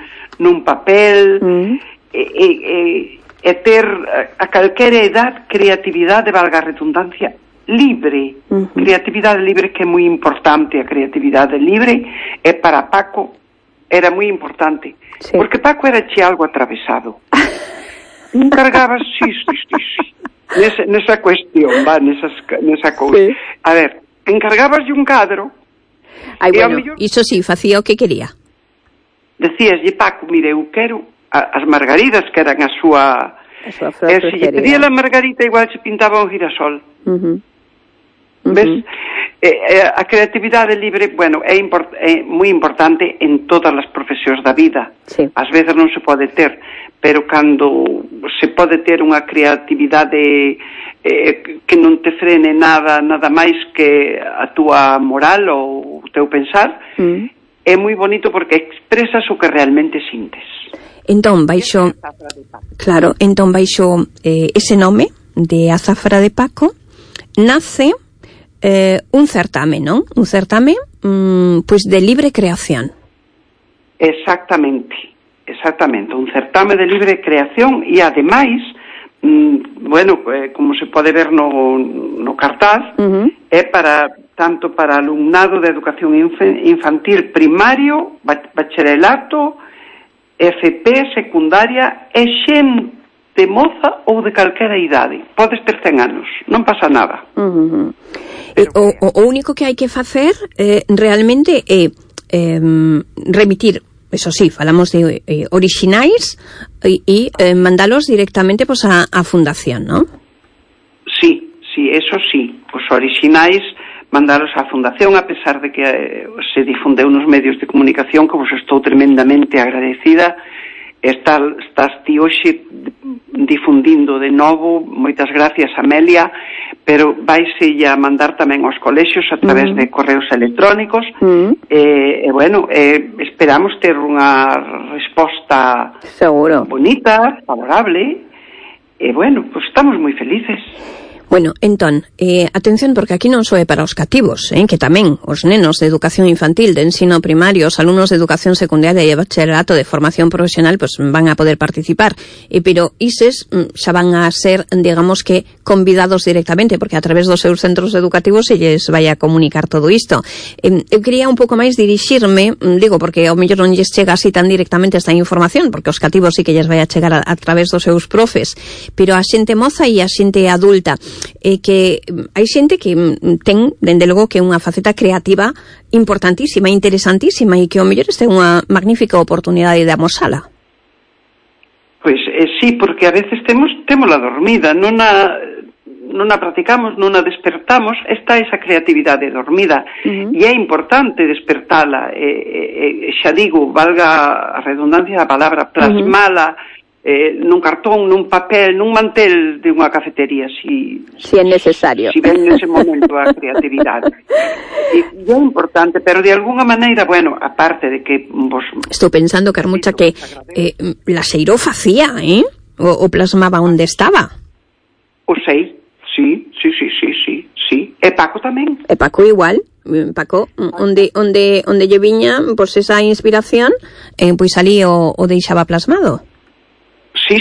papel, e ter a calquera edad creatividade, valga a redundancia, libre. Creatividade libre, que é moi importante. A creatividade libre é para Paco, era moi importante. Sí. Porque Paco era che algo atravesado. Encargabas, sí. Nesa cuestión, nesa cousa. Sí. A ver, encargabas de un cadro. Ai, bueno, mellor, iso sí, facía o que quería. Decíaslle, Paco, mire, eu quero as margaridas, que eran a súa e se lle pedía a margarita, igual se pintaba un girasol. ¿Ves? A creatividade libre, bueno, é moi importante en todas as profesións da vida. Sí. Ás veces non se pode ter, pero cando se pode ter unha creatividade que non te frene nada máis que a túa moral ou o teu pensar, é moi bonito porque expresas o que realmente sintes. Entón, baixo ese nome de Azafra de Paco nace un certame, non? Un certame pois de libre creación. Exactamente, un certame de libre creación e ademais, bueno, como se pode ver no cartaz, é tanto para alumnado de educación infantil primario, bacharelato, FP, secundaria e xente moza ou de calquera idade. Podes ter 100 anos, non pasa nada. O único que hai que facer realmente é remitir eso sí, falamos de orixinais e mandalos directamente pues a fundación, ¿no? Sí, eso sí, os orixinais mandalos á fundación, a pesar de que se difundeu nos medios de comunicación, que vos estou tremendamente agradecida. Estás ti hoxe difundindo de novo, moitas gracias, Amelia, pero vaise a mandar tamén aos colexios a través de correos electrónicos. Esperamos ter unha resposta seguro bonita, favorable, pues estamos moi felices. Bueno, entón, atención, porque aquí non só é para os cativos, que tamén os nenos de educación infantil, de ensino primario, os alumnos de educación secundaria e bacharelato de formación profesional, pues van a poder participar, pero ises xa van a ser, digamos que, convidados directamente, porque a través dos seus centros educativos se lles vai a comunicar todo isto. Eu quería un pouco máis dirixirme, digo, porque ao mellor non lles chega así tan directamente esta información, porque os cativos sí que lles vai a chegar a través dos seus profes, pero a xente moza e a xente adulta, que hai xente que ten, dende logo, que unha faceta creativa importantísima, interesantísima, e que ao mellor este é unha magnífica oportunidade de amosala. Pois sí, porque a veces témola dormida, non a practicamos, non a despertamos, está esa creatividade dormida, e é importante despertala, xa digo, valga a redundancia da palabra, plasmala nun cartón, nun papel, nun mantel de unha cafetería, si é necesario. Si ven nese momento a creatividade. E é importante, pero de alguna maneira, aparte de que vos... Estou pensando, Carmucha, que Laxeiro facía, o plasmaba onde estaba. O sei, sí. E Paco tamén. E Paco igual. Paco, onde lle viña, pois esa inspiración, pois ali o deixaba plasmado. Sí,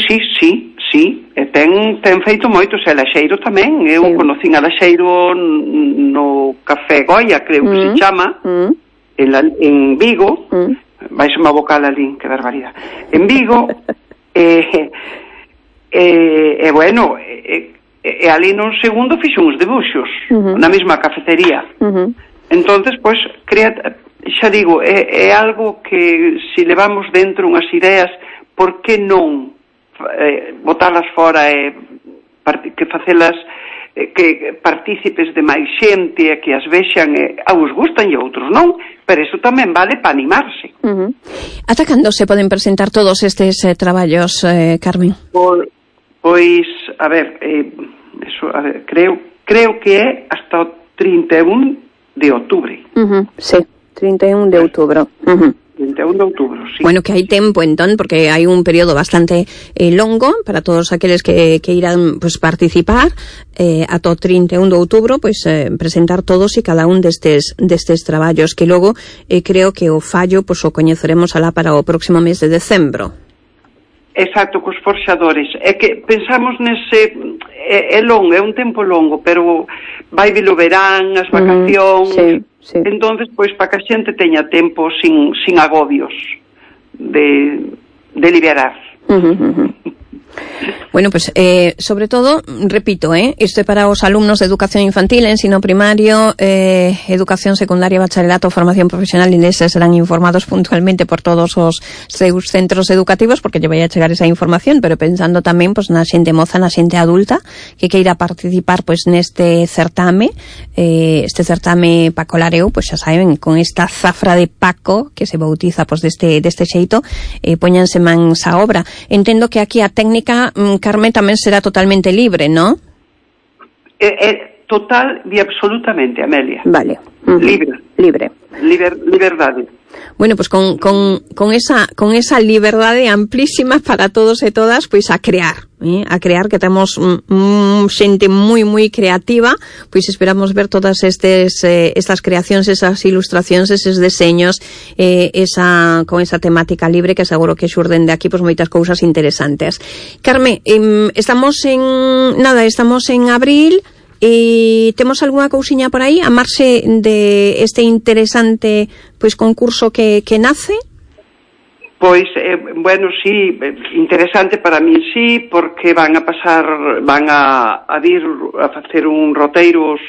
e ten feito moitos, e Laxeiro tamén. Eu conocín a Laxeiro no Café Goya, creo que se chama, en Vigo. Vais unha vocal ali, que barbaridade. En Vigo, ali nun segundo fixo uns debuxos na mesma cafetería. Entonces, pois, xa digo, é algo que se levamos dentro unhas ideas, por que non botalas fora e que facelas que partícipes de máis xente e que as vexan, a uns gustan e a outros non, pero iso tamén vale para animarse. Ata cando se poden presentar todos estes traballos, Carmen? Pois, a ver, creo que é hasta o 31 de outubro. Sí, 31 de outubro. 21 de outubro, sí. Bueno, que hai tempo, entón, porque hai un período bastante longo para todos aqueles que irán pues, participar ata o 31 de outubro, pues, presentar todos e cada un destes traballos, que logo creo que o fallo pues, o coñeceremos alá para o próximo mes de decembro. Exacto, cos forxadores. É que pensamos nese... É longo, é un tempo longo, pero vai vir o verán, as vacacións... Sí. Entonces, pois, para que a xente teña tempo sin agobios de liberar. Bueno, pues sobre todo, repito, isto é para os alumnos de educación infantil, ensino primario, educación secundaria, bacharelato, formación profesional, e neses serán informados puntualmente por todos os seus centros educativos, porque lle vai a chegar esa información, pero pensando tamén pues, na xente moza, na xente adulta que queira participar pues, neste certame, este certame Paco Lareu, pues xa saben, con esta zafra de Paco que se bautiza pues, deste xeito, poñanse mans á obra. Entendo que aquí a técnica, Carmen, tamén será totalmente libre, ¿no? Total e absolutamente, Amelia. Vale. Liberdade. Bueno, pues con esa liberdade amplísima para todos e todas, pois a crear, que temos xente moi creativa, pois esperamos ver todas estas creacións, esas ilustracións, eses deseños, con esa temática libre, que seguro que xurden de aquí pois moitas cousas interesantes. Carmen, estamos en abril. E temos algunha cousiña por aí a marxe de este interesante pois concurso que nace? Pois, sí, interesante para min sí, porque van a vir a facer un roteiros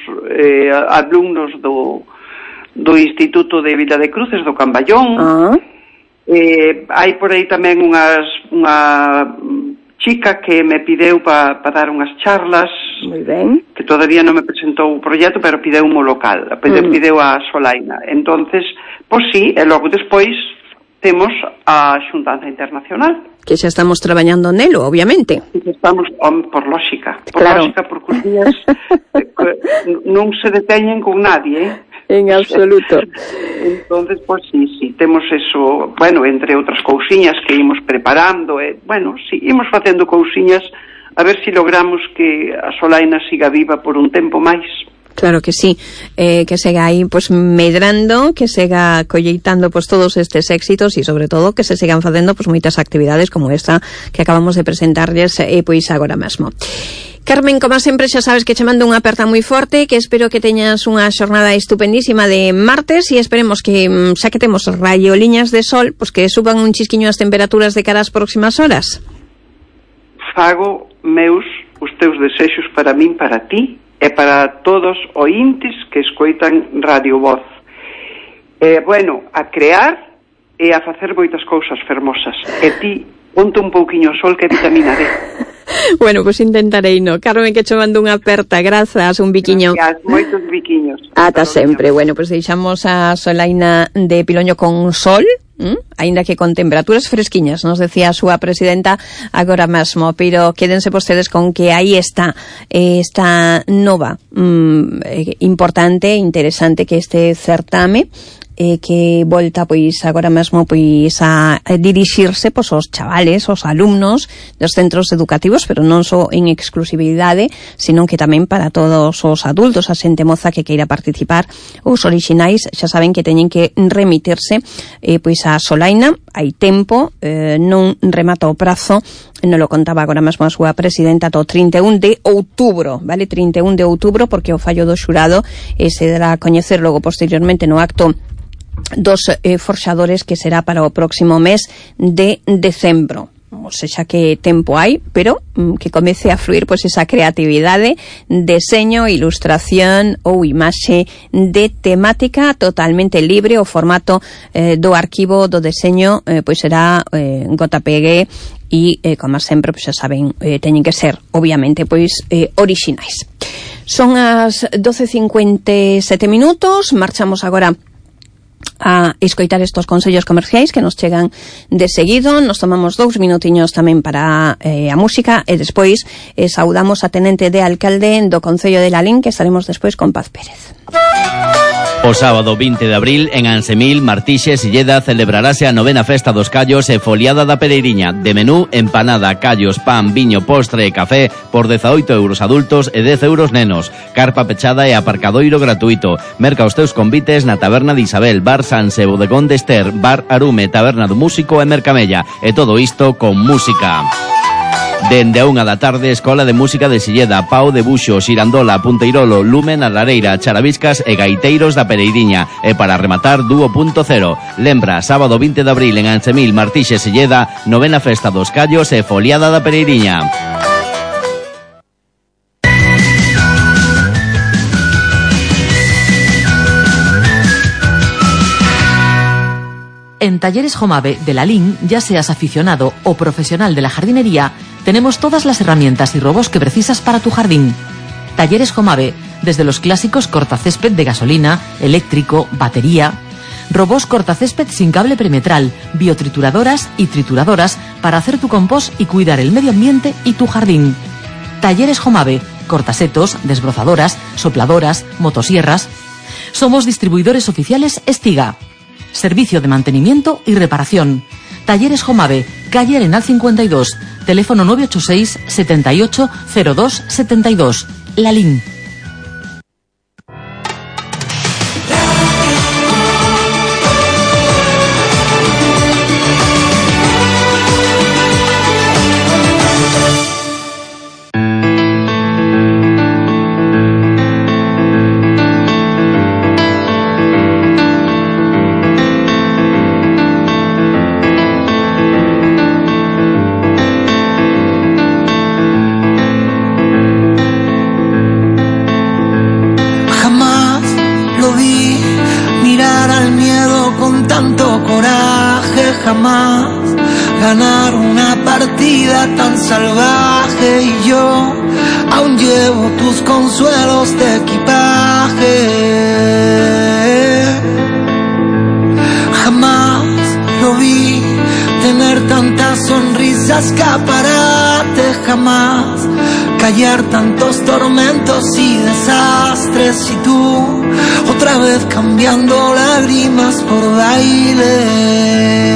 alumnos do Instituto de Vila de Cruces do Camballón, Hai por aí tamén unha chica que me pideu para dar unhas charlas. Moi ben. Que todavía non me presentou o proxecto, pero pideu un local, pideu a Solaina. Entonces, pois sí, e logo despois temos a Xuntanza Internacional. Que xa estamos traballando nelo, obviamente. Estamos, por lógica, claro. Porque os días non se deteñen con nadie, En absoluto. Entonces, pois sí, temos eso, bueno, entre outras cousiñas que imos preparando, sí, imos facendo cousiñas a ver se logramos que a Solaina siga viva por un tempo máis. Claro que sí, que siga aí pues medrando, que siga colleitando pues todos estes éxitos e sobre todo que se sigan facendo pues moitas actividades como esta que acabamos de presentarles pois agora mesmo. Carmen, como sempre, xa sabes que che mando unha aperta moi forte, que espero que teñas unha xornada estupendísima de martes e esperemos que, xa que temos raioliñas de sol, pues que suban un chisquiño as temperaturas de cara ás próximas horas. Fago meus os teus desexos para min, para ti, e para todos ointes que escoitan Radio Voz. A crear e a facer moitas cousas fermosas. E ti, ponte un pouquiño sol que é vitamina D. Bueno, pues intentarei, no. Carmen, que che mando unha aperta, grazas, un biquiño. Gracias, moitos biquiños. Ata sempre. Bueno, pues deixamos a Solaina de Piloño con sol, aínda que con temperaturas fresquiñas, nos decía a súa presidenta agora mesmo, pero quédense vostedes con que aí está esta nova importante, interesante que este certame que volta pois agora mesmo pois a dirixirse pois aos chavales, aos alumnos dos centros educativos, pero non só en exclusividade, sino que tamén para todos os adultos, a xente moza que queira participar. Os orixinais xa saben que teñen que remitirse pois a Solaina, hai tempo, non remata o prazo, non lo contaba agora mesmo a súa presidenta, do 31 de outubro, vale? 31 de outubro, porque o fallo do xurado se dará a coñecer logo posteriormente no acto dos forxadores, que será para o próximo mes de decembro. O sexa que tempo hai, pero que comece a fluir pois esa creatividade, deseño, ilustración ou imaxe de temática totalmente libre. O formato do arquivo do deseño pois será JPG e, como sempre, pois xa saben, teñen que ser, obviamente, pois orixinais. Son as 12:57 minutos, marchamos agora a escoitar estos consellos comerciais que nos chegan de seguido. Nos tomamos 2 minutiños tamén para a música e despois saudamos a tenente de alcalde do Concello de Lalín, que estaremos despois con Paz Pérez. O sábado 20 de abril, en Ansemil, Martixes e Lleda, celebrarase a 9ª Festa dos Callos e Foliada da Pereiriña. De menú, empanada, callos, pan, viño, postre e café por 18 euros adultos e 10 euros nenos. Carpa pechada e aparcadoiro gratuito. Merca os teus convites na Taberna de Isabel, Bar Sanse, Bodegón de Ester, Bar Arume, Taberna do Músico e Mercamella. E todo isto con música. Dende a 1 da tarde, Escola de Música de Silleda, Pau de Buxo, Xirandola, Punteirolo, Lumen, a Lareira, Charaviscas e Gaiteiros da Pereiriña. E para rematar, Dúo Punto Cero. Lembra, sábado 20 de abril en Ansemil, Martixes e Silleda, 9ª Festa dos Callos e Foliada da Pereiriña. En Talleres Jomave de Lalín, ya seas aficionado o profesional de la jardinería, tenemos todas las herramientas y robos que precisas para tu jardín. Talleres Jomave, desde los clásicos cortacésped de gasolina, eléctrico, batería, robos cortacésped sin cable perimetral, biotrituradoras y trituradoras para hacer tu compost y cuidar el medio ambiente y tu jardín. Talleres Jomave, cortasetos, desbrozadoras, sopladoras, motosierras. Somos distribuidores oficiales Estiga. Servicio de mantenimiento y reparación. Talleres Jomave, calle Arenal 52, teléfono 986 78 02 72. Lalín. jamás ganar una partida tan salvaje, y yo aún llevo tus consuelos de equipaje. Jamás lo vi tener tantas sonrisas, escaparate, jamás callar tantos tormentos y desastres, y tú otra vez cambiando lágrimas por baile.